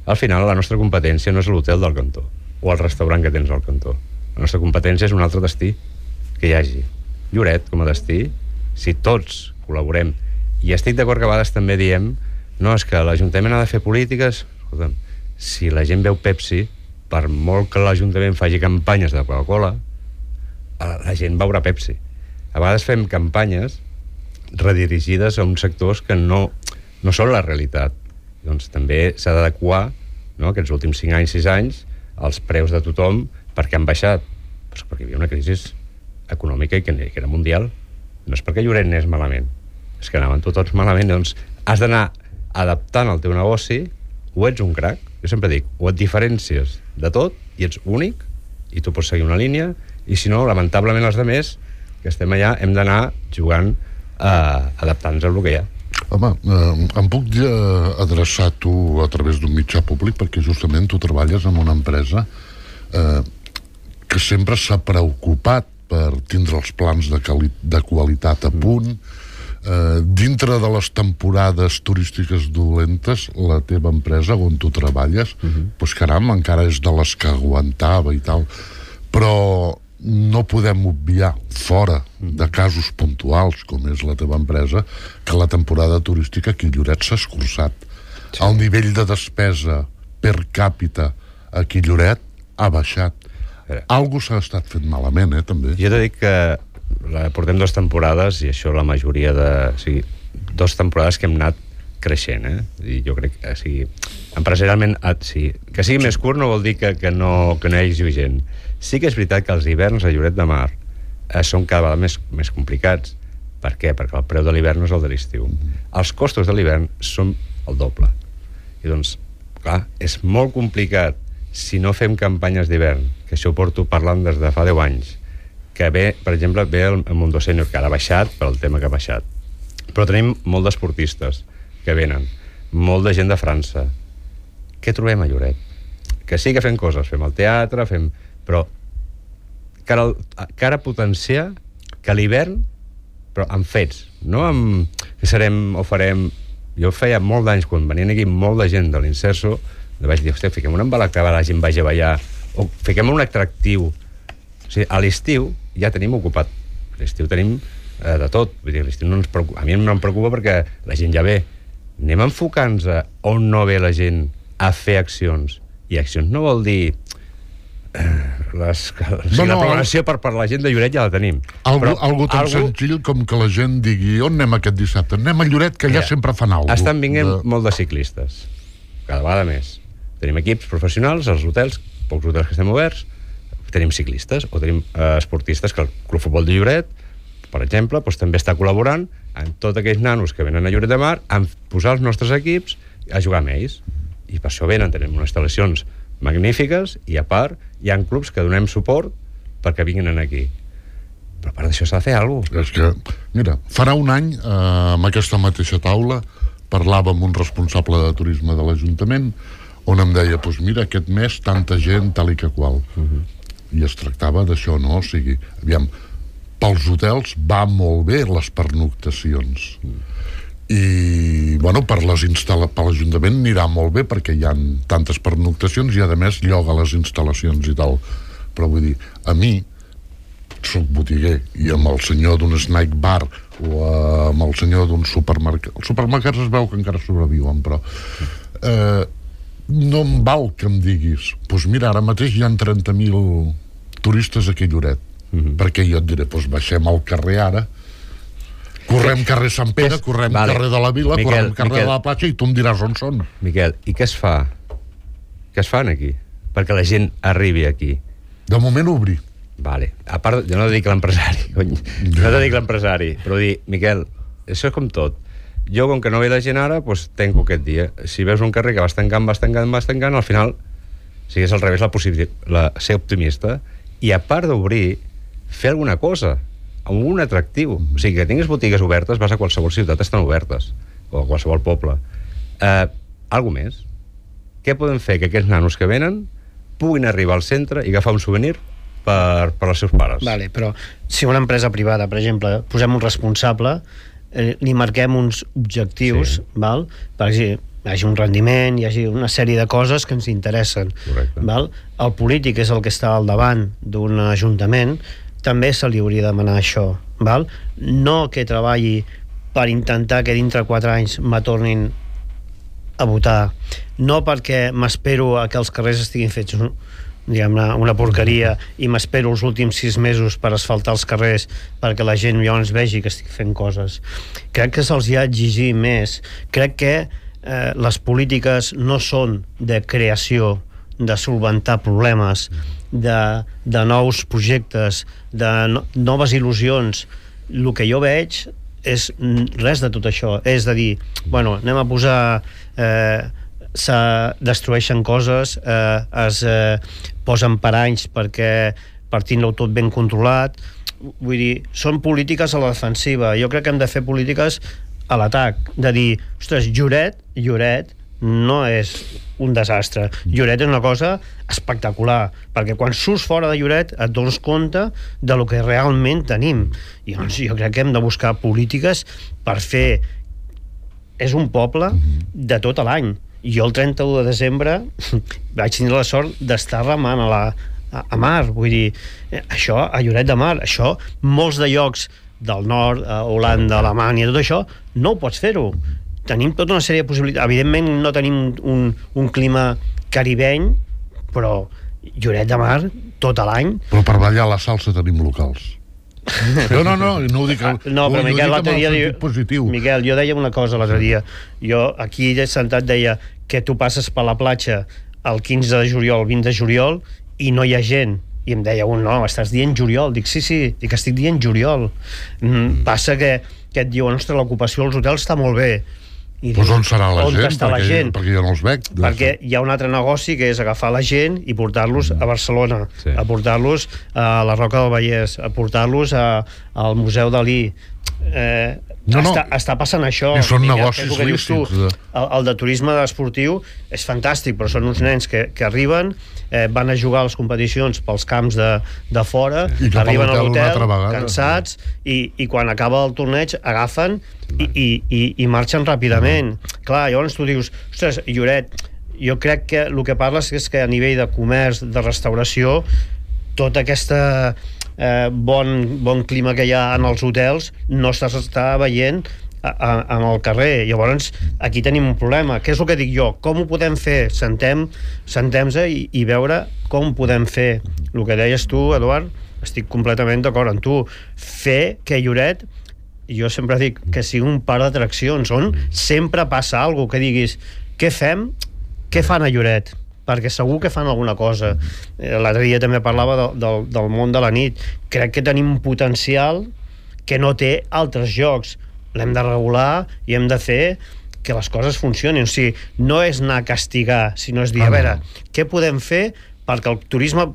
Al final la nostra competència no és l'hotel del cantó o el restaurant que tens al cantó. La nostra competència és un altre destí que hi hagi. Lloret, com a destí, si tots col·laborem, i estic d'acord que a vegades també diem, no, és que l'Ajuntament ha de fer polítiques. Escolta'm, si la gent veu Pepsi, per molt que l'Ajuntament faci campanyes de Coca-Cola, la gent veurà Pepsi. A vegades fem campanyes redirigides a uns sectors que no són la realitat. Doncs també s'ha d'adequar, no, aquests últims 5 anys, 6 anys, els preus de tothom, perquè han baixat. Pues perquè hi havia una crisi econòmica i que era mundial. No és perquè Lloret anés malament, és que anaven tots malament. Doncs has d'anar adaptant el teu negoci, o ets un crac, jo sempre dic, o et diferències de tot i ets únic i tu pots seguir una línia, i si no, lamentablement els altres que estem allà hem d'anar jugant adaptant-nos al que hi ha.
Home, em puc adreçar a tu a través d'un mitjà públic, perquè justament tu treballes en una empresa que sempre s'ha preocupat per tindre els plans de qualitat a punt. Dintre de les temporades turístiques dolentes, la teva empresa on tu treballes, doncs caram, encara és de les que aguantava i tal, però no podem obviar, fora de casos puntuals com és la teva empresa, que la temporada turística aquí a Lloret s'ha escurçat. El nivell de despesa per càpita aquí a Lloret ha baixat. Algo s'ha estat fent malament, també.
Jo t'he dit que portem 2 temporades, i això la majoria de... O sigui, 2 temporades que hem anat creixent, I jo crec que, empresarialment, que sigui més curt no vol dir que no hi hagi gent. Sí que és veritat que els hiverns a Lloret de Mar són cada vegada més complicats. Per què? Perquè el preu de l'hivern no és el de l'estiu. Els costos de l'hivern són el doble. I doncs, clar, és molt complicat si no fem campanyes d'hivern, que això ho porto parlant des de fa 10 anys, que ve, per exemple, el Mundo Sènior, que ara ha baixat per el tema que ha baixat. Però tenim molt d'esportistes que venen, molt de gent de França. Què trobem a Lloret? Que sí que fem coses, fem el teatre, però cara a potenciar que l'hivern, però amb fets, no amb que serem o farem... Jo feia molt d'anys, quan venien aquí molt de gent de l'Inserso, vaig dir, hòstia, fiquem un embalacaba, la gent vagi a ballar, o fiquem un atractiu. O sigui, a l'estiu ja tenim ocupat. A l'estiu tenim de tot. Vull dir, l'estiu no ens preocupa. A mi no em preocupa perquè la gent ja ve. Anem enfocant-nos a on no ve la gent a fer accions. I accions no vol dir... la programació per la gent de Lloret ja la tenim.
Algo tan senzill com que la gent digui on anem aquest dissabte? Anem a Lloret, que ja sempre fan alguna cosa.
Estan vinguent molt de ciclistes. Cada vegada més. Tenim equips professionals, als hotels, pocs hotels que estem oberts, tenim ciclistes, o tenim esportistes que el Club Futbol de Lloret, per exemple, doncs, també està col·laborant amb tots aquells nanos que venen a Lloret de Mar a posar els nostres equips a jugar amb ells. I per això venen, tenim unes instal·lacions magnífiques, i a part hi ha clubs que donem suport perquè vinguin aquí. Però a part d'això s'ha de fer alguna cosa.
És que, mira, farà un any, amb aquesta mateixa taula, parlava amb un responsable de turisme de l'Ajuntament, on em deia, doncs mira, aquest mes tanta gent, tal i que qual. I es tractava d'això, no? O sigui, aviam, pels hotels va molt bé les pernoctacions. I, bueno, per l'Ajuntament anirà molt bé perquè hi ha tantes pernoctacions i, a més, lloga les instal·lacions i tal. Però vull dir, a mi, soc botiguer, i amb el senyor d'un snack bar o amb el senyor d'un supermercat... Els supermercats es veu que encara sobreviuen, però... no em val que em diguis doncs mira, ara mateix hi ha 30.000 turistes aquí a Lloret, perquè jo et diré, doncs baixem al carrer ara, correm carrer Sant Pere, correm carrer de la Vila, correm carrer de la Platja, i tu em diràs on són.
Miquel, i què es fa? Què es fan aquí? Perquè la gent arribi aquí.
De moment obrir.
Vale. A part, jo no dic l'empresari, cony. No dic l'empresari, però dir, Miquel, això és com tot. Jo, com que no ve la gent ara, doncs tanco aquest dia. Si veus un carrer que vas tancant, al final, si és al revés, ser optimista, i a part d'obrir, fer alguna cosa, amb un atractiu. O sigui, que tinguis botigues obertes, vas a qualsevol ciutat, estan obertes, o a qualsevol poble. Algo més. Què podem fer? Que aquests nanos que venen puguin arribar al centre i agafar un souvenir per als seus pares.
Vale, però si una empresa privada, per exemple, posem un responsable, li marquem uns objectius, val? Perquè hi hagi un rendiment, hi hagi una sèrie de coses que ens interessen. Val? El polític és el que està al davant d'un ajuntament, també se li hauria de demanar això. Val? No que treballi per intentar que dintre 4 anys me tornin a votar, no perquè m'espero a que els carrers estiguin fets una porqueria i m'espero els últims 6 mesos per asfaltar els carrers perquè la gent llavors vegi que estic fent coses. Crec que se'ls ha d'exigir més. Crec que les polítiques no són de creació, de solventar problemes, de nous projectes, de noves il·lusions. El que jo veig és res de tot això. És de dir, bueno, anem a posar... se destrueixen coses, es posen paranys perquè per tindre-ho tot ben controlat. Vull dir, són polítiques a la defensiva. Jo crec que hem de fer polítiques a l'atac, de dir, ostres, Lloret no és un desastre. Lloret és una cosa espectacular, perquè quan surts fora de Lloret et dones compte de lo que realment tenim. I doncs jo crec que hem de buscar polítiques per fer... És un poble de tot l'any. Jo el 31 de desembre vaig tenir la sort d'estar remant a mar, vull dir, això a Lloret de Mar, això molts de llocs del nord, Holanda, Alemanya, tot això, no ho pots fer-ho. Tenim tota una sèrie de possibilitats. Evidentment no tenim un clima caribeny, però Lloret de Mar tot l'any.
Però per ballar la salsa tenim locals. No ho dic...
No, però Miquel, l'altre dia...
Positiu.
Miquel, jo deia una cosa l'altre dia. Jo aquí sentat deia que tu passes per la platja el 15 de juliol, 20 de juliol, i no hi ha gent. I em deia no, estàs dient juliol. Dic, sí, dic, estic dient juliol. Passa que et diuen, ostres, l'ocupació als hotels està molt bé.
Doncs on serà la gent? Perquè jo no els veig.
Perquè hi ha un altre negoci que és agafar la gent i portar-los a Barcelona, a portar-los a la Roca del Vallès, a portar-los al Museu Dalí. Està passant això.
I són negocis lícits.
El de turisme esportiu és fantàstic, però són uns nens que arriben, van a jugar a les competicions pels camps de fora, arriben a l'hotel cansats i quan acaba el torneig agafen i marxen ràpidament. Clar, llavors tu dius, ostres, Lloret, jo crec que el que parles és que a nivell de comerç, de restauració, tota aquesta bon clima que hi ha en els hotels no s'està veient en el carrer. Llavors aquí tenim un problema. Què és el que dic jo? Com ho podem fer? Sentem-se i veure com podem fer. El que deies tu, Eduard, estic completament d'acord amb tu. Fer que Lloret, jo sempre dic que sigui un parc d'atraccions on sempre passa alguna cosa, que diguis què fem, què fan a Lloret, perquè segur que fan alguna cosa. L'altre dia també parlava del món de la nit. Crec que tenim un potencial que no té altres llocs. L'hem de regular i hem de fer que les coses funcionin. O sigui, no és anar a castigar, sinó és dir, a veure, què podem fer perquè el turisme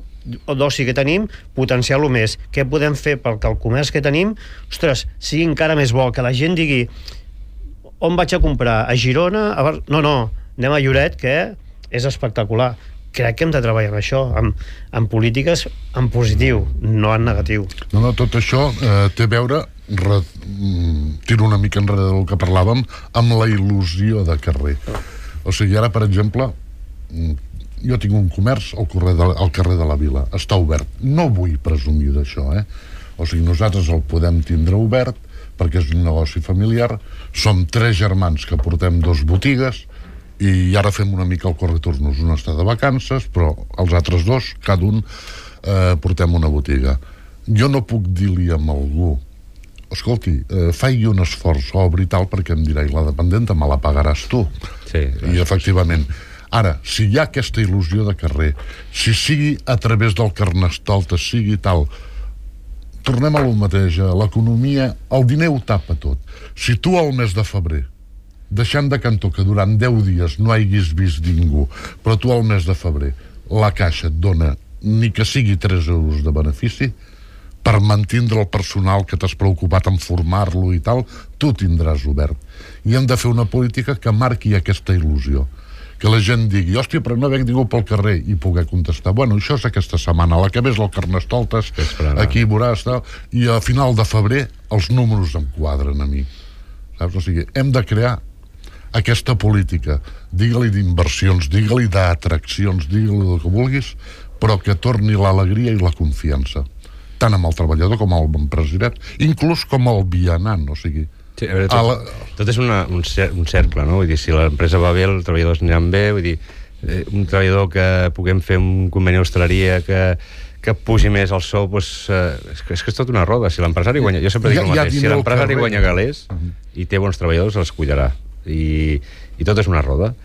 d'oci que tenim, potenciar-lo més. Què podem fer perquè el comerç que tenim, ostres, sigui encara més bo, que la gent digui on vaig a comprar? A Girona? No, anem a Lloret, que és espectacular. Crec que hem de treballar amb això, amb polítiques en positiu, no en negatiu.
No, tot això té a veure, tiro una mica enrere del que parlàvem, amb la il·lusió de carrer. O sigui, ara, per exemple, jo tinc un comerç al carrer de la Vila, està obert. No vull presumir d'això, O sigui, nosaltres el podem tindre obert perquè és un negoci familiar, som 3 germans que portem 2 botigues, i ara fem una mica el corretornos. Un està de vacances, però els altres 2, cada un, portem una botiga. Jo no puc dir-li a algú, escolti, faig un esforç, obri tal, perquè em dirà, i la dependenta me la pagaràs tu.
Sí,
i efectivament. Ara, si hi ha aquesta il·lusió de carrer, si sigui a través del Carnestoltes, sigui tal, tornem a lo mateix, l'economia, el diner ho tapa tot. Si tu al mes de febrer, deixant de cantó que durant 10 dies no haguis vist ningú, però tu al mes de febrer la caixa et dona ni que sigui 3 euros de benefici, per mantindre el personal que t'has preocupat en formar-lo i tal, tu tindràs obert. I hem de fer una política que marqui aquesta il·lusió, que la gent digui, hòstia, però no veig ningú pel carrer, i poder contestar, bueno, això és aquesta setmana, la que ve és el Carnestoltes, aquí veuràs, tal, i a final de febrer els números em quadren a mi, saps? O sigui, hem de crear aquesta política, digue-li d'inversions, digue-li d'atraccions, digue-li el que vulguis, però que torni l'alegria i la confiança, tant amb el treballador com amb l'empresariat, inclús com el vianant, o sigui...
Sí, a veure, tot és un cercle, no? Vull dir, si l'empresa va bé, els treballadors aniran bé, vull dir, un treballador que puguem fer un conveni d'hostaleria que pugi més el sou, doncs, és que és tot una roda. Si l'empresari guanya... Jo sempre dic el mateix, si l'empresari guanya galers i té bons treballadors, els cuidarà. I tot és una roda.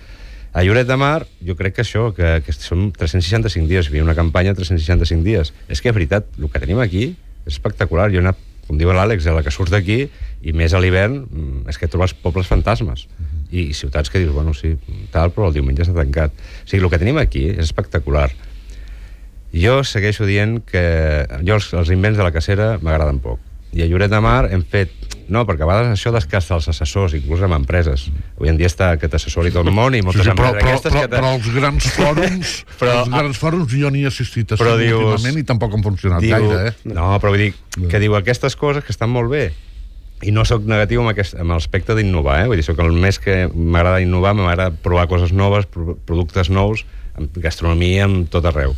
A Lloret de Mar, jo crec que això, que són 365 dies, hi havia una campanya 365 dies. És que, és veritat, el que tenim aquí és espectacular. Jo he anat, com diu l'Àlex, a la que surts d'aquí, i més a l'hivern, és que trobes pobles fantasmes. I ciutats que dius, bueno, sí, tal, però el diumenge està tancat. O sigui, el que tenim aquí és espectacular. Jo segueixo dient que els invents de la cacera m'agraden poc. I a Lloret de Mar hem fet... No, perquè a vegades això descasta els assessors, inclús amb empreses. Avui en dia està que t'assessori tot el món i moltes empreses aquestes...
Però els grans fòrums, els grans fòrums jo n'hi he assistit a últimament i tampoc han funcionat gaire,
No, però vull dir que diu aquestes coses que estan molt bé. I no sóc negatiu amb l'aspecte d'innovar, Vull dir, sóc el més que m'agrada innovar, m'agrada provar coses noves, productes nous, amb gastronomia, amb tot arreu.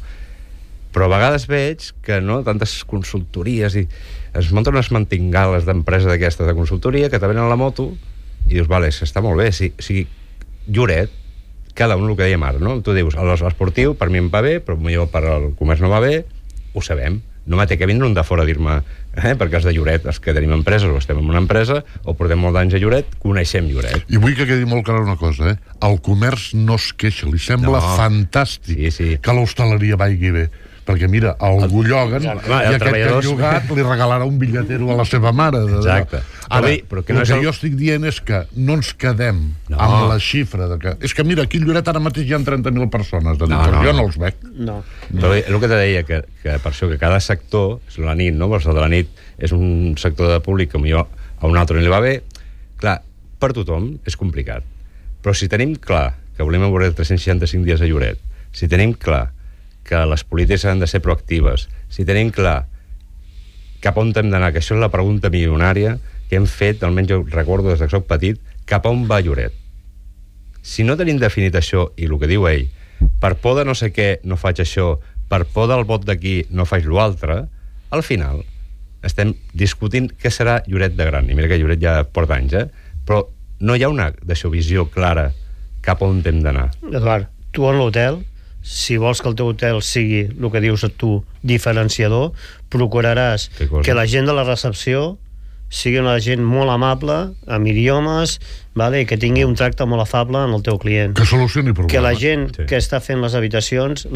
Però a vegades veig que tantes consultories i es munten unes mantingales d'empresa d'aquestes de consultoria que te venen a la moto i dius, vale, està molt bé. Si Lloret, cada un el que dèiem ara, no? Tu dius, l'esportiu per mi em va bé, però millor per al comerç no va bé, ho sabem. No m'ha que vindre un de fora a dir-me, perquè els de Lloret, els que tenim empreses o estem en una empresa o portem molt d'anys a Lloret, coneixem Lloret.
I vull que quedi molt clara una cosa, El comerç no es queixa, li sembla fantàstic que l'hostaleria vagi bé. Perquè mira, algú lloguen i aquest que ha llogat li regalarà un bitlletero a la seva mare.
Exacte.
Ara, el que jo estic dient és que no ens quedem amb la xifra de que... És que mira, aquí a Lloret ara mateix hi ha 30.000 persones de nit, jo no els veig.
Però el que te deia, que per això que cada sector, és la nit, no? El de la nit és un sector de públic que millor a un altre no li va bé. Clar, per tothom és complicat. Però si tenim clar que volem veure 365 dies a Lloret, si tenim clar que les polítiques han de ser proactives, si tenim clar cap on hem d'anar, que això és la pregunta milionària que hem fet, almenys jo recordo des que soc petit, cap on va Lloret. Si no tenim definit això, i el que diu ell, per por de no sé què no faig això, per por del vot d'aquí no faig l'altre, al final estem discutint què serà Lloret de gran. I mira que Lloret ja porta anys, però no hi ha una visió clara cap on hem d'anar.
Eduard, tu en l'hotel, si vols que el teu hotel sigui el que dius tu, diferenciador, procuraràs que la gent de la recepció sigui una gent molt amable, amb idiomes, i que tingui un tracte molt afable amb el teu client.
Que solucioni problemes.
Que la gent que està fent les habitacions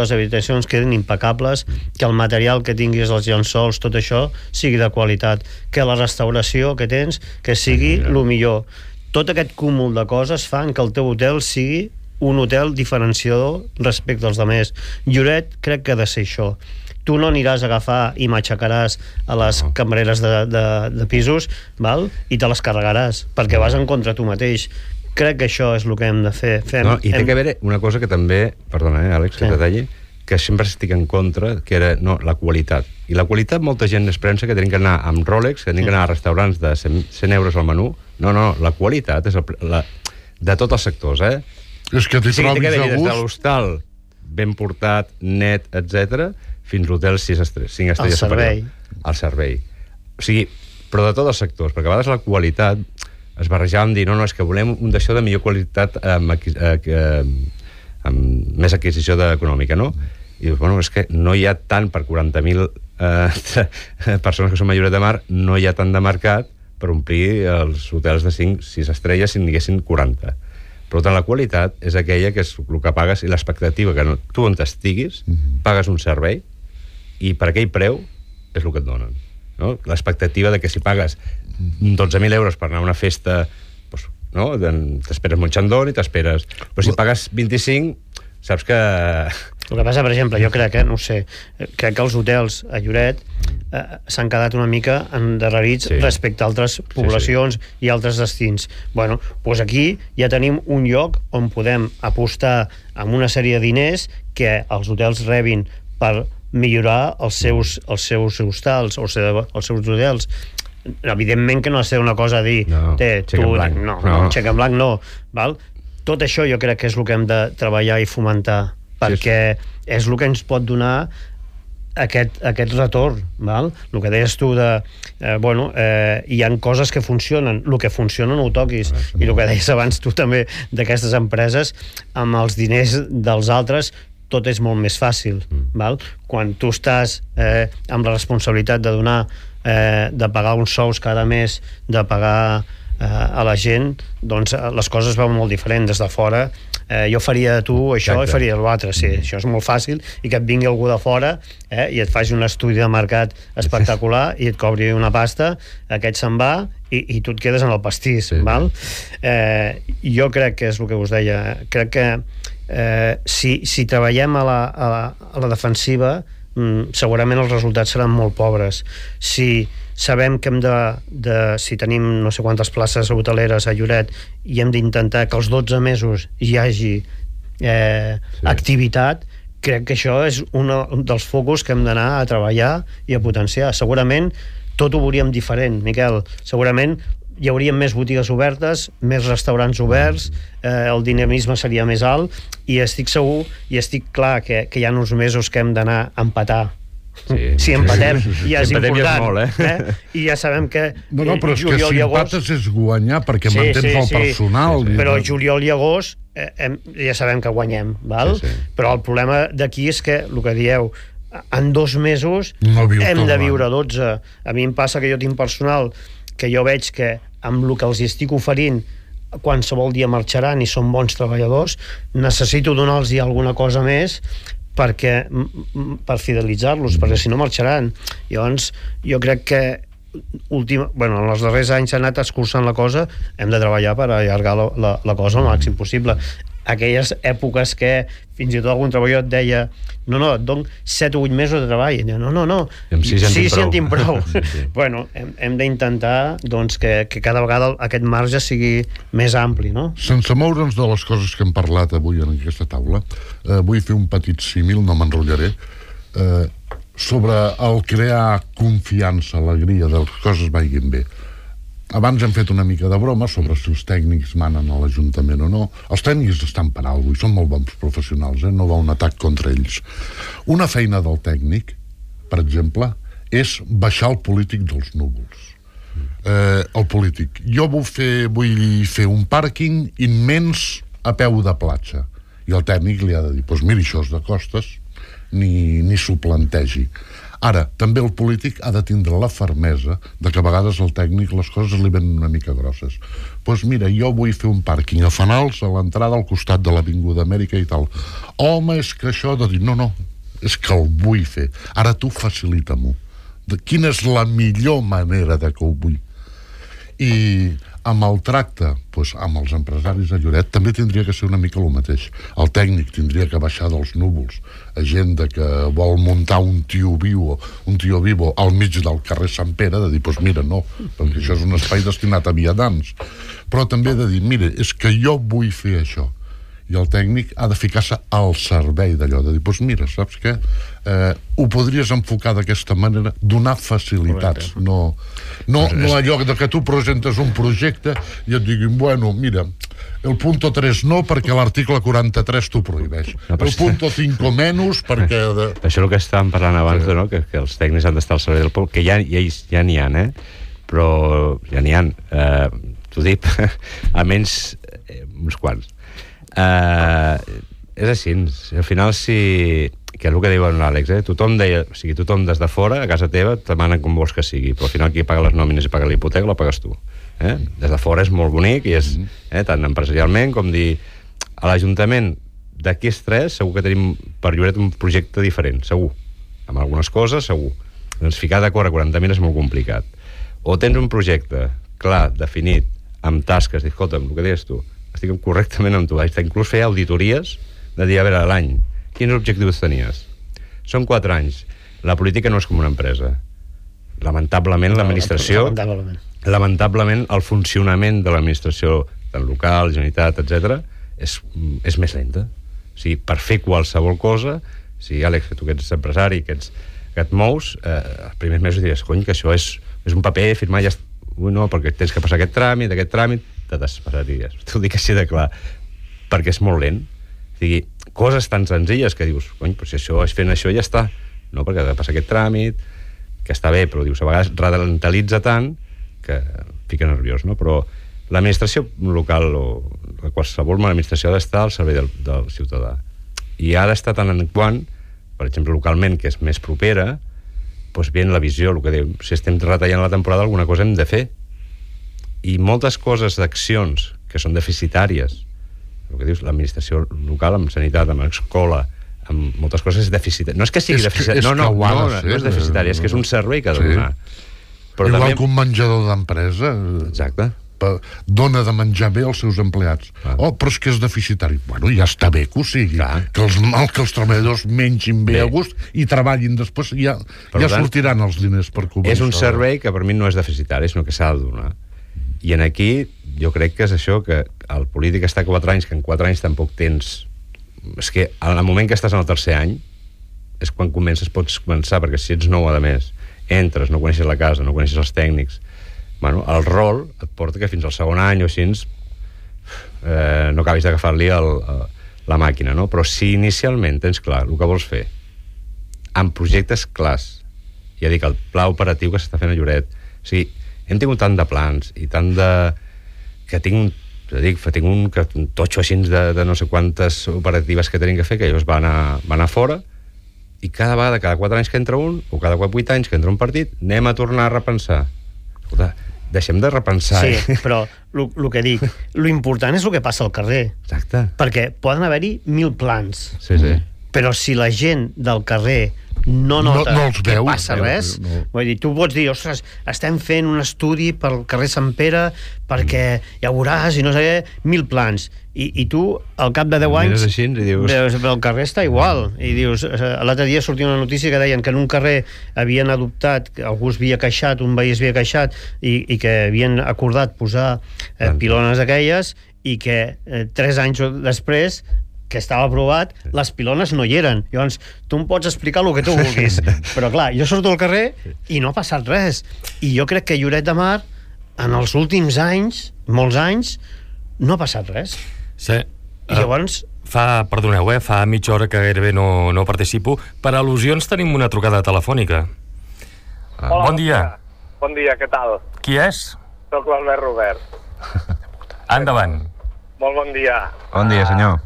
quedin impecables, que el material que tinguis, els llençols, tot això, sigui de qualitat, que la restauració que tens, que sigui el millor. Tot aquest cúmul de coses fan que el teu hotel sigui un hotel diferenciador respecte als altres. Lloret crec que ha de ser això. Tu no aniràs a agafar i matxacaràs a les cambreres de pisos, i te les carregaràs, perquè vas en contra tu mateix. Crec que això és el que hem de fer.
I té que haver una cosa que també, perdona, Àlex, que te talli, que sempre estic en contra, que era la qualitat. I la qualitat molta gent es pensa que tenim que anar amb Rolex, que tenim que anar a restaurants de 100 euros al menú. No, la qualitat és de tots els sectors,
És que t'hi trobis a
gust. Des de
gust.
l'hostal, ben portat, net, etc., fins a l'hotel 5 estrelles superior. El servei. O sigui, però de tots els sectors, perquè a vegades la qualitat es barrejava amb dir, no, és que volem un d'això de millor qualitat amb més adquisició econòmica, no? I dius, és que no hi ha tant per 40.000 persones que són a Lloret de Mar, no hi ha tant de mercat per omplir els hotels de 5-6 estrelles si n'hi haguessin 40. Per tant, la qualitat és aquella que és el que pagues i l'expectativa que tu on estiguis, pagues un servei i per aquell preu és el que et donen. No? L'expectativa de que si pagues 12.000 euros per anar a una festa, t'esperes molt xandón i t'esperes... Però si pagues 25, saps que...
El que passa, per exemple, jo crec que els hotels a Lloret s'han quedat una mica endarrerits respecte a altres poblacions i altres destins. Doncs aquí ja tenim un lloc on podem apostar amb una sèrie de diners que els hotels rebin per millorar els seus hostals o els seus hotels. Evidentment que no ha de ser una cosa a dir xec en blanc no. Tot això jo crec que és el que hem de treballar i fomentar, perquè és el que ens pot donar aquest retorn. El que deies tu de hi ha coses que funcionen, el que funciona no ho toquis, i el que deies abans tu també d'aquestes empreses, amb els diners dels altres tot és molt més fàcil. Quan tu estàs amb la responsabilitat de donar, de pagar uns sous cada mes, de pagar a la gent, doncs les coses van molt diferents des de fora. Jo faria tu això i faria l'altre, això és molt fàcil, i que et vingui algú de fora i et faci un estudi de mercat espectacular i et cobri una pasta, aquest se'n va i tu et quedes en el pastís. Jo crec que és el que us deia, crec que si treballem a la defensiva segurament els resultats seran molt pobres. Si sabem que hem si tenim no sé quantes places hoteleres a Lloret, i hem d'intentar que els 12 mesos hi hagi activitat, crec que això és un dels focus que hem d'anar a treballar i a potenciar. Segurament tot ho veuríem diferent, Miquel. Segurament hi hauria més botigues obertes, més restaurants oberts, el dinamisme seria més alt, i estic segur i estic clar que hi ha uns mesos que hem d'anar a empatar. Si empatem ja és important,
molt,
i ja sabem que
no, però és que si empates és guanyar, perquè mantens el personal.
Però juliol i agost ja sabem que guanyem, val? Però el problema d'aquí és que, el que dieu, en 2 mesos hem de viure 12. A mi em passa que jo tinc personal que jo veig que amb el que els estic oferint qualsevol dia marxaran i són bons treballadors, necessito donar-los alguna cosa més per fidelitzar-los, perquè si no marxaran. Llavors jo crec que en els darrers anys s'ha anat escurçant la cosa, hem de treballar per allargar la cosa al màxim possible. Aquelles èpoques que fins i tot algun treballador et deia et dono 7 o 8 mesos de treball, no,
sí
sentim prou. Bueno, hem d'intentar que cada vegada aquest marge sigui més ampli, no?
Sense moure'ns de les coses que hem parlat avui en aquesta taula, vull fer un petit símil, no m'enrotllaré, sobre el crear confiança, alegria, de les coses vagin bé. Abans hem fet una mica de broma sobre si els tècnics manen a l'Ajuntament o no. Els tècnics estan per alguna cosa i són molt bons professionals, no va un atac contra ells. Una feina del tècnic, per exemple, és baixar el polític dels núvols. El polític. Jo vull fer un pàrquing immens a peu de platja. I el tècnic li ha de dir, doncs mira, això és de costes, ni s'ho plantegi. Ara, també el polític ha de tindre la fermesa de que a vegades el tècnic les coses li venen una mica grosses. Doncs mira, jo vull fer un pàrquing a Fanals, a l'entrada al costat de l'Avinguda Amèrica i tal. Home, és que això de dir, no, és que el vull fer. Ara tu facilita-m'ho. Quina és la millor manera de que ho vull? I amb el tracte, amb els empresaris de Lloret, també tindria que ser una mica el mateix. El tècnic tindria que baixar dels núvols a gent que vol muntar un tio vivo al mig del carrer Sant Pere, de dir, mira, no, perquè això és un espai destinat a vianants. Però també de dir, mira, és que jo vull fer això. I el tècnic ha de ficar-se al servei d'allò, de dir, mira, saps què? Ho podries enfocar d'aquesta manera, donar facilitats, no allò de que tu presentes un projecte i et diguin, bueno, mira, el punto 3 no, perquè l'article 43 t'ho prohibeix. El punto 5 menys, perquè...
Això és el que estàvem parlant abans, que els tècnics han d'estar al servei del poble, que ja n'hi ha, però ja n'hi ha. T'ho dic, almenys uns quants. És així, al final que és el que diu l'Àlex, tothom deia, o sigui, tothom des de fora a casa teva et demanen com vols que sigui, però al final qui paga les nòmines i paga la hipoteca la pagues tu. Des de fora és molt bonic i és tant empresarialment com dir a l'Ajuntament d'aquí és 3 segur que tenim per Lloret un projecte diferent, segur, amb algunes coses segur, doncs ficar d'acord a 40.000 és molt complicat. O tens un projecte clar, definit, amb tasques, dir, escolta'm, el que deies tu, estic correctament amb tu, inclús fer auditories de dir, a veure, l'any, quins objectius tenies? Són 4 anys. La política no és com una empresa. Lamentablement, l'administració... Lamentablement, el funcionament de l'administració, tant local, Generalitat, etc., és més lenta. O sigui, per fer qualsevol cosa, si, Àlex, que tu que ets empresari, que et mous, els primers mesos diries, cony, que això és un paper, firmar ja... Ui, no, perquè tens que passar aquest tràmit, te despassaries. T'ho dic així de clar. Perquè és molt lent. O sigui, coses tan senzilles que dius, cony, però si això és fent això ja està. No, perquè ha de passar aquest tràmit, que està bé, però dius, a vegades ralentalitza tant que fica nerviós, no? Però l'administració local o qualsevol administració ha d'estar al servei del ciutadà. I ha d'estar tant en quant, per exemple, localment, que és més propera, doncs bien la visió, el que diu, si estem retallant la temporada, alguna cosa hem de fer. I moltes coses d'accions que són deficitàries, el que dius, l'administració local, amb sanitat, amb escola, amb moltes coses és deficitària. No és que sigui deficitària, no és deficitària, és que és un servei que ha de donar.
Igual que un menjador d'empresa.
Exacte.
dona de menjar bé als seus empleats. Però és que és deficitari. Bueno, ja està bé que ho sigui. Que els treballadors mengin bé a gust i treballin després, ja sortiran els diners per cobrir.
És un servei que per mi no és deficitari, sinó que s'ha de donar. I en aquí jo crec que és això, que el polític està 4 anys, que en 4 anys tampoc tens... És que al moment que estàs en el tercer any és quan pots començar, perquè si ets nou, a més, entres, no coneixes la casa, no coneixes els tècnics, bueno, el rol et porta que fins al segon any o així no acabis d'agafar-li la màquina, no? Però si inicialment tens clar el que vols fer, amb projectes clars, ja dic, el pla operatiu que s'està fent a Lloret, o sigui, hem tingut tant de plans i tant de... que tinc un totxo així de no sé quantes operatives que tenim que fer, que llavors va anar fora, i cada vegada, cada 4 anys que entra un, o cada 8 anys que entra un partit, anem a tornar a repensar. Escolta, deixem de repensar.
Sí, però el que dic, l'important és el que passa al carrer.
Exacte.
Perquè poden haver-hi 1000 plans.
Sí.
Però si la gent del carrer no nota que passa res, vull dir, tu pots dir, ostres, estem fent un estudi pel carrer Sant Pere perquè ja veuràs i no sé què, 1000 plans, i tu al cap de 10 anys
així,
veus, el carrer està igual, i dius, l'altre dia sortia una notícia que deien que en un carrer havien adoptat, algú es havia queixat, un veí es havia queixat, i que havien acordat posar pilones aquelles, i que 3 anys després que estava aprovat, les pilones no hi eren. Llavors, tu em pots explicar el que tu vulguis. Però clar, jo surto al carrer i no ha passat res. I jo crec que Lloret de Mar, en els últims anys, molts anys, no ha passat res.
Sí.
I llavors...
Perdoneu, fa mitja hora que gairebé no participo. Per al·lusions tenim una trucada telefònica.
Hola,
bon dia.
Bon dia, què tal?
Qui és?
Soc l'Albert Robert.
Endavant.
Molt bon dia.
Bon dia, senyor.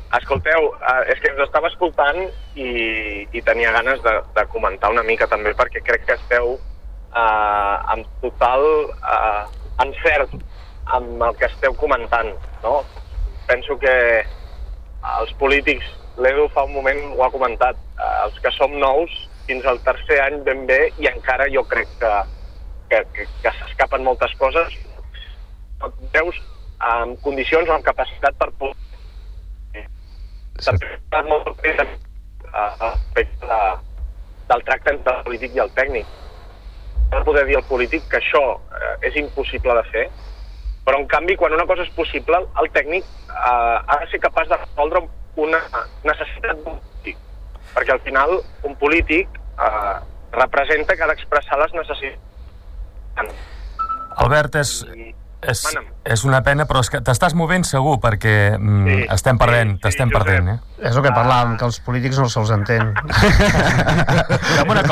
Escolteu, és que us estava escoltant i tenia ganes de comentar una mica també, perquè crec que esteu amb total encert amb el que esteu comentant, no? Penso que els polítics, l'Edu fa un moment ho ha comentat, els que som nous fins al tercer any ben bé, i encara jo crec que s'escapen moltes coses, veus amb condicions o amb capacitat per poder molt respecte del tracte entre el polític i el tècnic. No poder dir al polític que això és impossible de fer, però en canvi quan una cosa és possible, el tècnic ha de ser capaç de resoldre una necessitat d'un polític, perquè al final un polític representa que ha d'expressar les necessitats.
Albert, és una pena, però és que t'estàs movent segur, perquè estem perdent, t'estem perdent.
És el que parlàvem, que els polítics no se'ls entén.
Fem una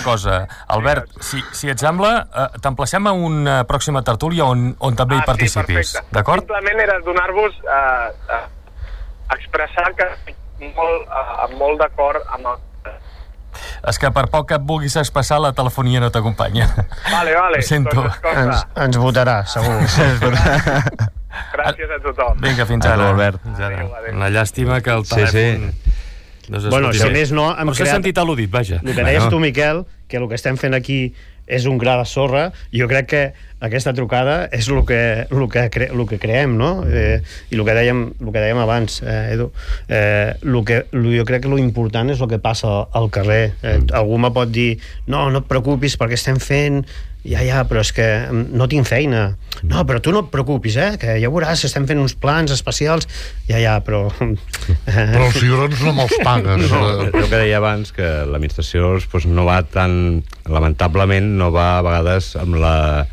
cosa. Albert, si et sembla, t'emplacem a una pròxima tertúlia on també hi participis.
Sí,
d'acord?
Simplement era donar-vos expressar que molt d'acord amb el...
És que per poc que et vulguis expressar, la telefonia no t'acompanya.
Vale.
Ho sento.
Ens votarà, segur.
Gràcies a tothom.
Vinga, fins ara.
Albert.
Una llàstima que el telèfon...
Bueno, si més no...
Però s'ha sentit al·ludit, vaja.
El que deies tu, Miquel, que el que estem fent aquí és un gra de sorra, jo crec que aquesta trucada és el que creem, no? I el que dèiem abans, Edu, jo crec que l'important és el que passa al carrer. Algú me pot dir, no et preocupis perquè estem fent... Ja, però és que no tinc feina. No, però tu no et preocupis, que ja veuràs, estem fent uns plans especials. Ja, però...
Però els cigrons no me'ls pagues.
El que deia abans, que l'administració no va tan... Lamentablement no va a vegades amb la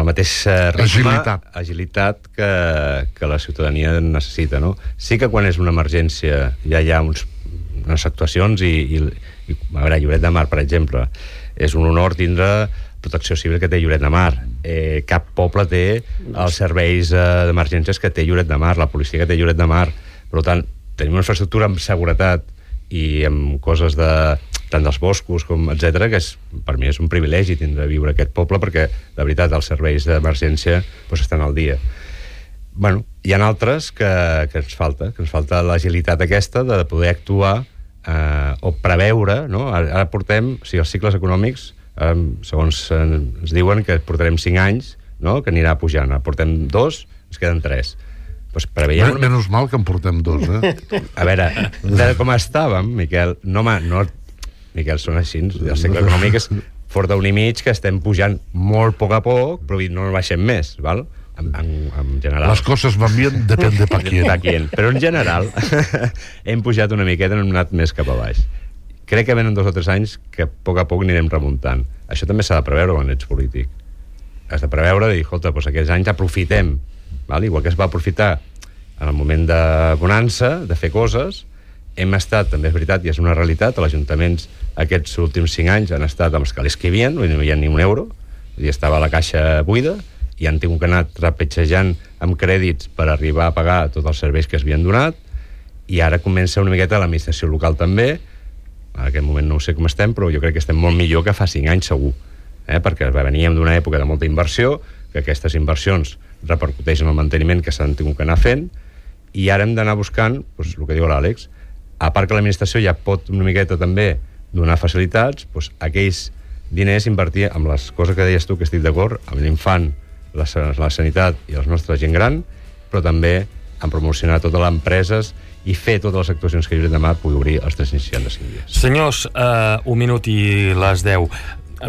mateixa agilitat que la ciutadania necessita, no? Sí que quan és una emergència ja hi ha unes actuacions i a veure, Lloret de Mar, per exemple, és un honor tindre protecció civil que té Lloret de Mar. Cap poble té els serveis d'emergències que té Lloret de Mar, la policia que té Lloret de Mar. Per tant, tenim una infraestructura amb seguretat i amb coses tant dels boscos com etcètera, que per mi és un privilegi viure a aquest poble, perquè de veritat els serveis d'emergència estan al dia. Bueno, hi ha altres que ens falta l'agilitat aquesta de poder actuar o preveure, no? Ara portem, els cicles econòmics, segons ens diuen que portarem 5 anys no? Que anirà pujant. Portem 2, ens queden 3. Pues preveiem...
Menys mal que en portem 2,
A veure, de com estàvem, Miquel, Miquel, són així, el segle econòmic és fort d'un i mig, que estem pujant molt a poc, però no baixem més, val? En general.
Les coses van bien, depèn de pa quién.
Però en general hem pujat una miqueta, hem anat més cap a baix. Crec que venen 2 o 3 anys que a poc anirem remuntant. Això també s'ha de preveure quan ets polític. Has de preveure i dir, escolta, doncs aquests anys aprofitem, val? Igual que es va aprofitar en el moment de bonança, de fer coses. Hem estat, també és veritat, i és una realitat, els ajuntaments aquests últims 5 anys han estat amb els calés que hi havia, no hi havia ni un euro, i estava la caixa buida, i han tingut que anar trepitjejant amb crèdits per arribar a pagar tots els serveis que es havien donat, i ara comença una miqueta l'administració local també. En aquest moment no sé com estem, però jo crec que estem molt millor que fa 5 anys segur, perquè veníem d'una època de molta inversió, que aquestes inversions repercuteixen en el manteniment que s'han tingut que anar fent, i ara hem d'anar buscant, doncs, el que diu l'Àlex, a part que l'administració ja pot una miqueta també donar facilitats, doncs, aquells diners invertir amb les coses que deies tu, que estic d'acord, amb l'infant, la sanitat i la nostra gent gran, però també en promocionar totes les empreses i fer totes les actuacions que demà pugui obrir els 365 dies.
Senyors, 1 minut i les 10.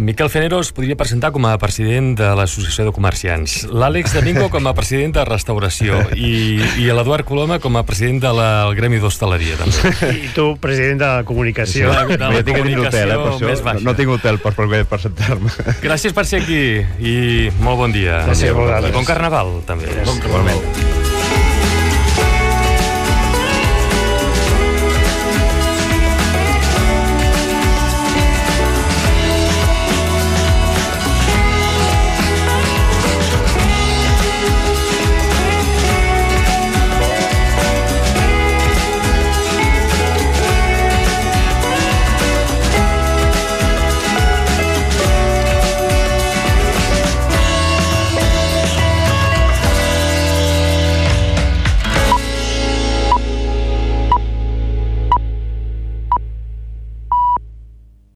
Miquel Fenero es podria presentar com a president de l'Associació de Comerciants, l'Àlex Domingo com a president de Restauració i l'Eduard Coloma com a president del Gremi d'Hostaleria, també.
I tu, president de la Comunicació.
De la comunicació més baixa.
No tinc hotel per presentar-me.
Gràcies per ser aquí i molt bon dia.
Gràcies a vosaltres.
Bon Carnaval, també.
Bon Carnaval.